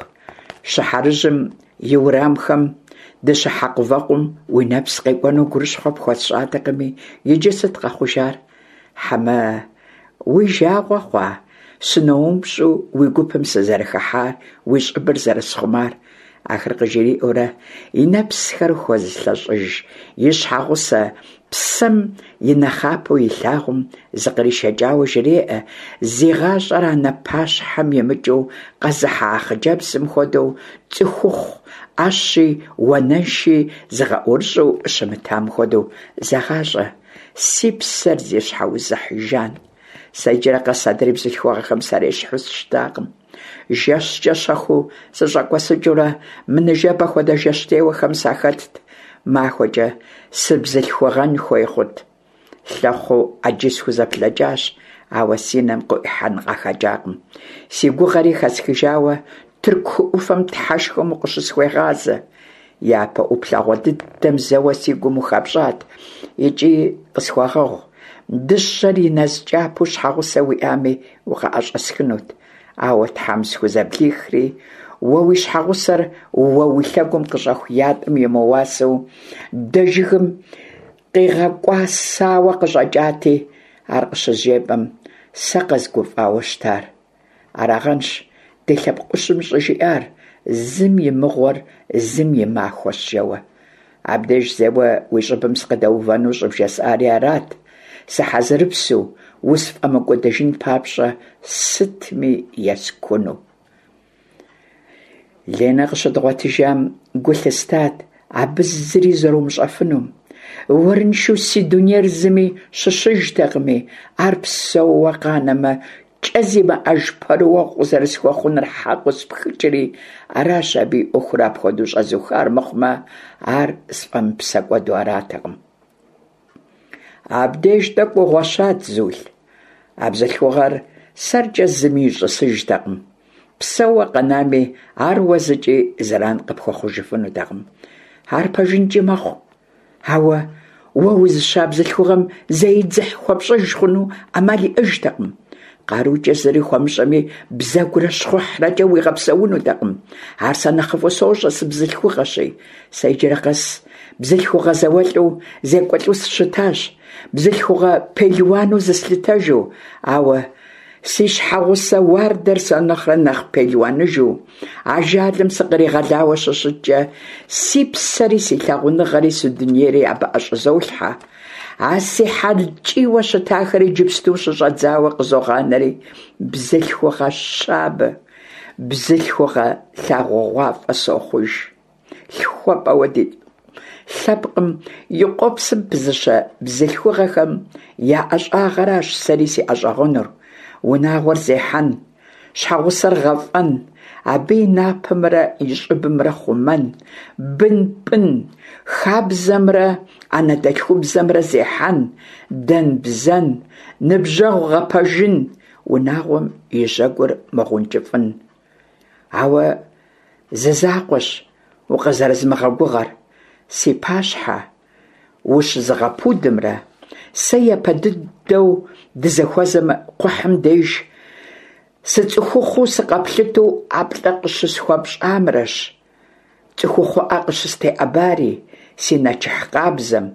щыхьэрыжьым и уэрамхэм дыщыхьэкъувэкъум уи нэпс къекӀуэну гурыщхъуэ пхуэсщӀатэкъыми, иджы сыт къэхъужар? Хьэмэ уи жагъуэ хъуа сыноупщӀу уи гупым сызэрыхыхьар, уи щӀыбыр зэрысхъумар?» Ахэр къыжриӀэурэ и нэпсхэр хуэзылъэщӀыж и щхьэгъусэ псэм и нэхъапэу илъагъум зыкъришэкӀауэ жреӀэ, зи гъащӀэр анэ пащхьэм имыкӀыу къэзыхьа хъыджэбзым хуэдэу цӀыхухъу Ӏэщи уанэши зыгъэӀурыщӀэу щымытам хуэдэу. «ЗэгъащӀэ, си псэр зи щхьэузыхь Жан, сэ иджырэ къэс адрей бзылъхугъэхэм сарещхьу сыщытакъым. ЖэщкӀэ щэхуу сыщӀэкӀуэсыкӀыурэ мы ныжэбэ хуэдэ жэщтеуэхэм сахэтт, махуэкӀэ сыбзылъхугъэн хуей хъут. Лъэхъуу Ӏэджи схузэблэкӀащ, ауэ си нэм къыӀуихьэн къахэкӀакъым. Си гугъэри хэсхыжауэ, Тырку хы Ӏуфэм Тхьэшхуэм укъыщысхуегъазэ. Япэ Ӏуплъэгъуэ дыдэм зэуэ си гум ухэпщӀат икӀи къысхуэгъэгъу, дыщэр и нэз кӀапэу щхьэгъусэ уиӀами укъыӀэщӀэсхынут. Ауэ Тхьэм схузэблихри, уэ уи щхьэгъусэр уэ уи лъэгум къыщӀэху ятӀэм имыуасэу дэ жыгым къигъэкӀуасауэ къыщӀэкӀати, ар къыщызжепӀэм, сэ къэзгуфӀауэ щытар. Арагъэнщ ди лъэпкъ Ӏущым щӀыжиӀар: зым и мыгъуэр зым и махуэщ жэуэ. Абдеж зэуэ уи щӀыбым сыкъыдэувэну щӀыбжесӀари арат, сыхьэзырыпсу, усфӀэмыкӀуэдыжын папщӀэ сытми ескуну. Ленэ къыщыдгъуэтыжам гу лъыстат абы зыри зэрумыщӀэфынум. Уэрыншэу си дунейр зыми щыщыжтэкъыми, ар псэууэ къанэмэ, кӀэ зимыӀэж пэрыуэгъу къызэрысхуэхъунур хьэкъыу спхыкӀри, аращ абы и Ӏуэхур апхуэдэу щӀэзухар мыхъумэ, ар сфӀэмыпсэкӀуэду аратэкъым. Абдеж тӀэкӀу угъуэщат, Зул. А бзылъхугъэр сэркӀэ зыми ищӀысыжтэкъым. Псэууэ къэнами, ар уэ зыкӀи зэран къыпхуэхъужыфынутэкъым. Ар пэжынкӀи мэхъу, ауэ уэ узыща бзылъхугъэм зэи дзыхь хуэпщӀыж хъуну Ӏэмал иӀэжтэкъым. КъарукӀэ зыри хуэмыщӀэми, бзэгурэ щхъухьрэкӀэ уигъэпсэунутэкъым. Ар сэ нэхъыфӀу сощӀэ, сыбзылъхугъэщи. Сэ иджырэ къэс бзылъхугъэ зауэлӀу зекӀуэлӀу сыщытащ, бзылъхугъэ пелуану зыслъытэжу, ауэ си щхьэгъусэ уардэр сэ нэхърэ нэхъ пелуаныжу, ажалым сыкъригъэлауэ щыщыткӀэ, си псэри, си лъагъуныгъэри, си дунейри абы ӀэщӀызолъхьэ. А си хьэл ткӀийуэ щытахэр иджыпсту щыщӀэдзауэ къызогъанэри, бзылъхугъэ щабэ, бзылъхугъэ лъагъугъуафӀэ сохъуж. ЛъхуэпӀэуэ ди лъэпкъым и къуэпсым пызыщэ бзылъхугъэхэм я ӀэщӀагъэращ сэри си ӀэщӀагъэнур: унагъуэр зехьэн, щхьэгъусэр гъэфӀэн, абы и напэмрэ и щӀыбымрэ хъумэн, бын пӀын, хабзэмрэ анэдэлъхубзэмрэ зехьэн, дэн-бзэн, ныбжьэгъу гъэпэжын, унагъуэм и жьэгур мыгъункӀыфӀын. Ауэ зы закъуэщ укъызэрызмыгъэгугъэр: си пащхьэ ущызгъэпудымрэ сэ япэ дыдэу дызыхуэзэм кхъухьым деж сыцӀыхухъуу сыкъэплъытэу ӀэплӀэ къыщысхуэпщӀамрэщ цӀыхухъуӀэ къыщыстеӀэбари, си нэчыхь къабзэм,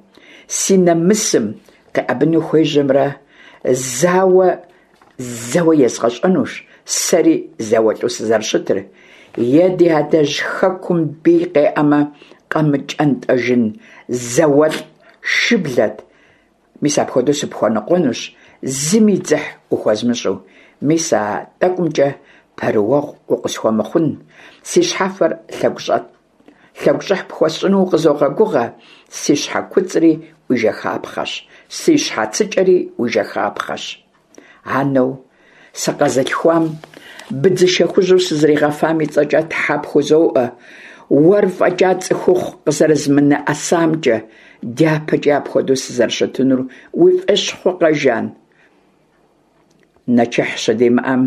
си нэмысым къеӀэбыну хуежьэмрэ зауэ зэуэ езгъэщӀэнущ сэри зауэлӀу сызэрыщытыр, е ди адэжь хэкум бий къеӀэмэ, къэмыкӀэнтӀэжын зауэлӀ шыблэт. Мис апхуэдэу сыпхуэныкъуэнущ, зыми дзыхь ухуэзмыщӀу. Мис а тӀэкӀумкӀэ пэрыуэгъу укъысхуэмыхъун, си щхьэфэр лъэгущӀыхь пхуэсщӀыну укъызогъэгугъэ, си щхьэ куцӀри уи жэхапхъэщ, си щхьэцыкӀэри уи жэхапхъэщ. Анэу сыкъэзылъхуам быдзышэ хужьу сызригъэфам и цӀэкӀэ тхьэ пхузоӀуэ, уэр фӀэкӀа цӀыхухъу къызэрызмынэӀэсамкӀэ, дяпэкӀи апхуэдэу сызэрыщытынур уи фӀэщ хъукъэ, Жан? Нэчыхь щыдимыӀэм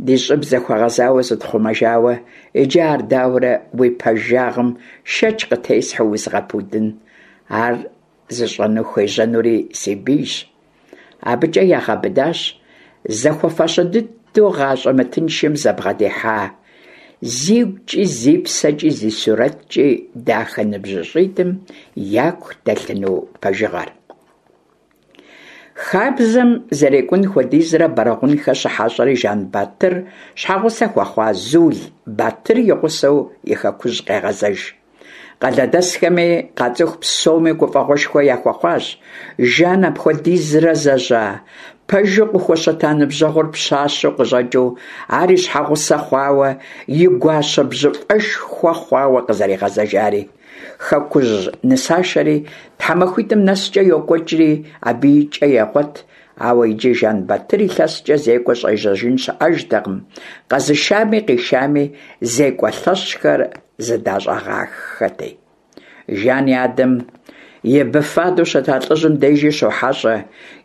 ди щӀыб зэхуэгъэзауэ зытхъумэжауэ, иджы ар дауэрэ уи пэжагъым шэч къытесхьэу узгъэпудын? Ар зыщӀэну хуежьэнури си бийщ. АбыкӀэ ягъэбыдащ зэхуэфащэ дыдэу гъащӀэ мытыншым зэбгъэдихьа, зигукӀи, зи псэкӀи, зи сурэткӀи дахэ ныбжьыщӀитӀым яку дэлъыну пэжыгъэр. Хабзэм зэрекӀун хуэдизрэ Бэрэгъунхэ щыхьэщӀэри, Жэнбатыр щхьэгъусэ хуэхъуа Зул Батыр и гъусэу и хэкужь къегъэзэж. Къалэдэсхэми къацӀыху псоми гуфӀэгъуэшхуэ яхуэхъуащ Жан апхуэдизрэ зэжьа, пэжу къыхущыта ныбжьэгъур пщащэу къыщӀэкӀыу, ар и щхьэгъусэ хъуауэ, и гуащэ бжьыфӀэшхуэ хъуауэ къызэригъэзэжари. Хэкужь нысашэри тхьэмахуитӀым нэскӀэ йокӀуэкӀри, абыи кӀэ егъуэт, ауэ иджы Жэнбатыр илъэскӀэ зекӀуэ щӀежьэжын щыӀэжтэкъым, къэзышами къишами зекӀуэ лъэщхэр зыдащӀагъэххэти. Жан и адэм и быфадэу щыта лӀыжьым дежи щохьэщӀэ,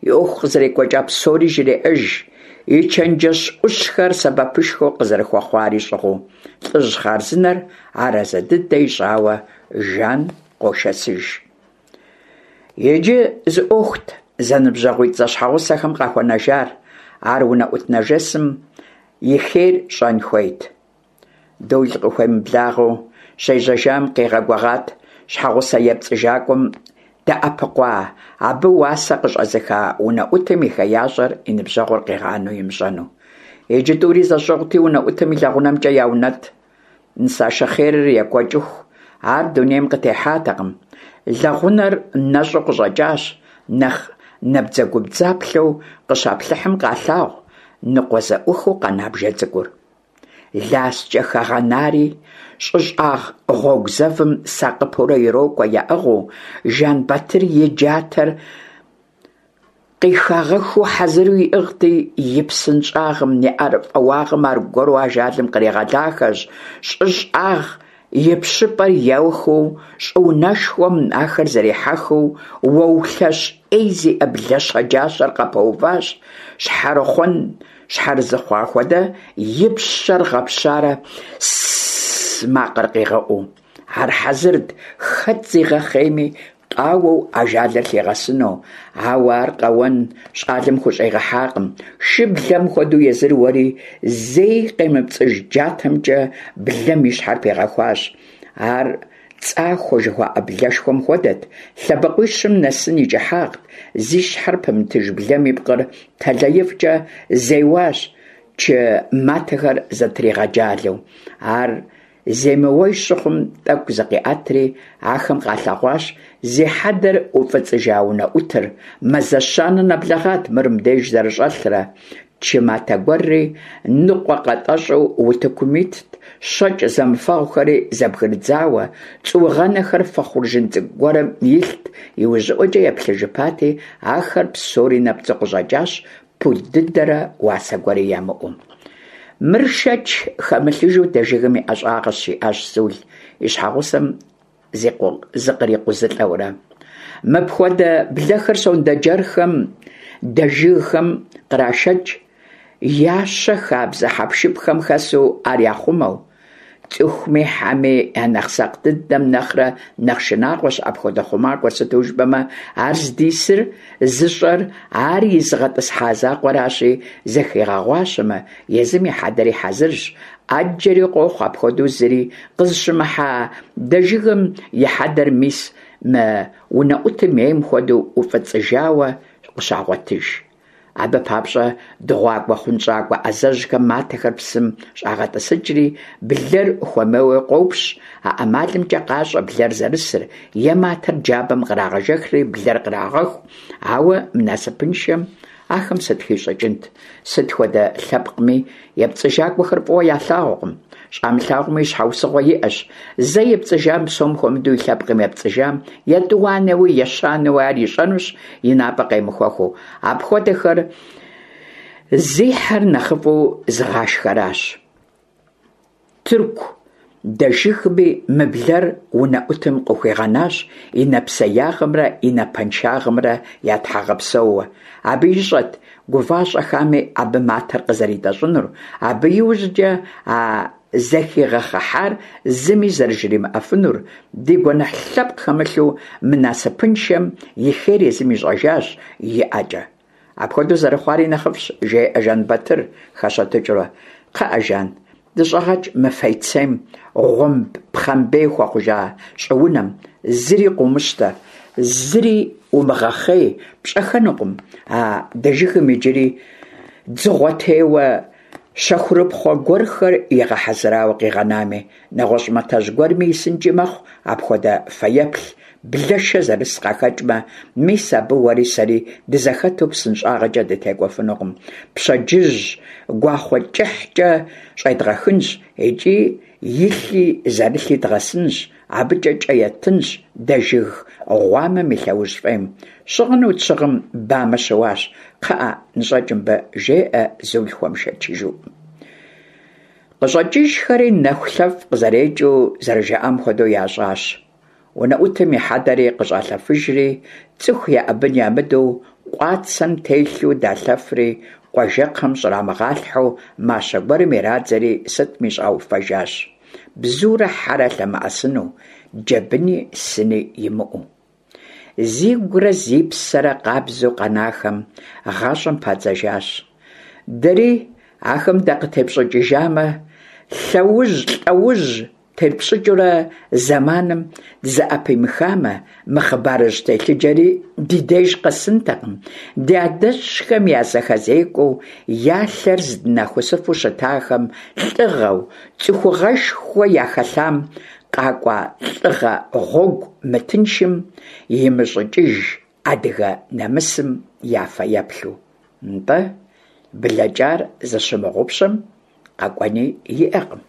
и Ӏуэху къызэрекӀуэкӀа псори жреӀэж, и чэнджэщ Ӏущхэр сэбэпышхуэ къызэрыхуэхъуари щӀыгъуу. ЛӀыжь хъарзынэр арэзы дыдэ ищӀауэ Жан къошэсыж. Иджы зы Ӏуэхут зэныбжьэгъуитӀ зэщхьэгъусэхэм къахуэнэжар, ар унэӀут нэжэсым и хейр щӀэн хуейт. Дол къыхуемыблагъэу щежьэжам къигъэгугъат щхьэгъусэ епцӀыжакӀуэм дэӀэпыкъуа, абы уасэ къыщӀэзыха унэӀутым и хеящӀэр и ныбжьэгъур къигъанэу имыщӀэну. Иджы тӀури зэщӀыгъути, унэӀутым и лэгъунэмкӀэ яунэтӀ. Нысашэ хъерыр екӀуэкӀыху ар дунейм къытехьатэкъым. Лэгъунэр нэщӀу къыщӀэкӀащ, нэхъ набдзэгубдзаплъэу къыщаплъыхьым къалъагъу ныкъуэзэӀухыу къэна бжэ цӀыкӀур. ЛаскӀэ хэгъэнари щӀы щӀагъ гъуэгу зэвым сакъыпэурэ ирокӀуэ яӀыгъыу, Жэнбатыр и джатэр къихагъэхыу хьэзыру иӀыгъти, и псынщӀагъым, и ӀэрыфӀэуагъым аргуэру ажалым къригъэлахэщ. ЩӀы щӀагъ ипщыпӀэр яухыу щӀыунэшхуэм ахэр зэрехьэхыу, уэу лъэщ Ӏей зиӀэ блэ щэджащэр къапэуващ, щхьэрыхъуэн щхьэрызыхъуа хуэдэ и пщэр гъэпщарэ «сс» макъыр къигъэӀуу. Ар хьэзырт хэт зигъэхъейми, къауэу ажалыр лъигъэсыну, ауэ ар къэуэн щӀалэм хущӀигъэхьакъым, шыблэм хуэдэу езыр уэри, зэи къемыпцӀыж джатэмкӀэ блэм и щхьэр пигъэхуащ. Ар цӀахуэ жыхуаӀэ блэшхуэм хуэдэт, лъэбакъуищым нэсын и кӀыхьагът, зи щхьэр пымытыж блэм и пкъыр тэлаифӀкӀэ зеуащ, чы матэхэр зэтригъэджалэу. Ар земыуэж щыхъум, тӀэкӀу зыкъиӀэтри, ахэм къалъэгъуащ зи хьэдэр уфӀыцӀыжа унэӀутыр, мазэ щанэ нэблэгъат мыр мыбдеж зэрыщӀэлърэ, Чы матэ гуэрри ныкъуэкъэтӏэщӏу утыкум итт, щэкӏ зэмыфэгъухэри зэбгрыдзауэ, цӏуугъэнэхэр фэ хъуржын цӏыкӏу гуэрым илът. ИужьыӀуэкӀэ еплъыжыпати, ахэр псори нэпцӀу къыщӀэкӀащ, пуд дыдэрэ уасэ гуэри ямыӀэу. «Мыр, шэч хэмылъыжу, дэжыгым и ӀэщӀагъэщ», – жиӀащ Зул, и щхьэгъусэм зыкърикъузылӀэурэ. «Мыпхуэдэ блэхэр сондэджэрхэм дэжыгхэм кърашэкӀ, ящэ хабзэ хьэпшыпхэм хэсу ар яхъумэу. ЦӀыхуми хьэми я нэхъ сакъ дыдэм нэхърэ нэхъ шынагъуэщ апхуэдэ хъумакӀуэр, сыту жыпӀэмэ ар здисыр зыщӀэр ар изыгъэтӀысхьа закъуэращи, зыхигъэгъуащэмэ, езым и хьэдэри хьэзырщ. Ӏэджэри къохъу апхуэдэу зыри къызыщымыхьа дэжыгым и хьэдэр мис мы унэӀутым ейм хуэдэу уфӀыцӀыжауэ къыщагъуэтыж. Абы папщӀэ дыгъуакӀуэ, хъунщӀакӀуэ Ӏэзэжьхэм матэхэр псым щӀагъэтӀысыкӀри, блэр хуэмейуэ къопщ, а ӀэмалымкӀэ къащӀэ блэр зэрысыр, е матэр джабэм кърагъэжэхри блэр кърагъэху, ауэ мы насыпыншэм ахэм сыт хищӀыкӀынт? Сыт хуэдэ лъэпкъми епцӀыжакӀуэхэр фӀыуэ ялъагъукъым. ЩӀамылъагъуми щхьэусыгъуэ иӀэщ. Зэ епцӀыжам, псом хуэмыдэу и лъэпкъым епцӀыжам, етӀуанэуи, ещанэуи ар ищӀэнущ, и напӀэ къемыхуэхыу. Апхуэдэхэр зи хьэр нэхъыфӀу зыгъашхэращ. Тырку дэжыгми мы блэр унэӀутым къыхуигъэнащ и нэпсеягъымрэ и напэншагъэмрэ я тхьэгъэпсэууэ. Абы ищӀэрт гува-щӀэхами абы матэр къызэритӀэщӀынур, абы иужькӀэ а зэхигъэхъыхьар зыми зэрыжримыӀэфынур. Ди гуэныхь лъэпкъ хэмылъу мы насыпыншэм и хейр езым ищӀэжащ и ӀэкӀэ. Апхуэдэу зэрыхъуари нэхъыфӀщ, – жеӀэ Жэнбэтыр, хэщэтыкӀыурэ. – КхъыӀэ, Жан, дыщӀэгъэкӀ мы фейцейм гъуэмб пхъэмбей хуэхъужа щӀыунэм, зыри къыумыщтэ, зыри умыгъэхъей, пщӀэххэнукъым а дэжыгым иджыри дзыгъуэтеуэ щэхурыпхъуэ гуэрхэр игъэхьэзырауэ къигъэнами. НэгъуэщӀ матэжь гуэрми исынкӀи мэхъу апхуэдэ фэеплъ, блэшэ зэрыс къахэкӀмэ, мис абы уэри сэри дызэхэту псынщӀагъэкӀэ дытекӀуэфынукъым, пщэдджыжь гуахъуэ кӀыхькӀэ щӀедгъэхынщ икӀи илъи зэрылъи дгъэсынщ, абыкӀэ кӀэ еттынщ дэжыг гъуамэм и лъэужь фӀейм. Щыгъыну тщыгъым бамэ щыуащ, кхъыӀэ, ныщӀэкӀ мыбы, – жеӀэ Зул хуэмышэчыжу. КъыщӀэкӀыжхэри нэхулъэфӀ къызэрекӀыу зэрыжаӀам хуэдэу ящӀащ. УнэӀутым и хьэдэри къыщӀалъэфыжри, цӀыху еӀэбын ямыдэу, къуацэм телъу далъэфри, къуажэкхъэм щӀрамыгъалъхьэу мащэ гуэрым ирадзэри сытми щӀауфэжащ, бзурэ хьэрэ лъэмыӀэсыну, джэбыни сыни имыӀэу. Зигурэ зи псэрэ къабзэу къэнахэм гъащӀэм падзэжащ. Дэри ахэм дакъытепщӀыкӀыжамэ, лъэужь-лӀэужь тетпщӀыкӀыурэ зэманым дызэӀэпимыхамэ, мы хъыбарыжь телъыджэри ди деж къэсынтэкъым, ди адэжьхэм я зэхэзекӀуэу, я лъэр здынахусыфу щытахэм лӀыгъэу, цӀыхугъэшхуэу яхэлъам къакӀуа лӀыгъэ гъуэгу мытыншым имыщӀыкӀыж адыгэ нэмысым я фэеплъу. НтӀэ, блэкӀар зыщымыгъупщэм къэкӀуэни иӀэкъым.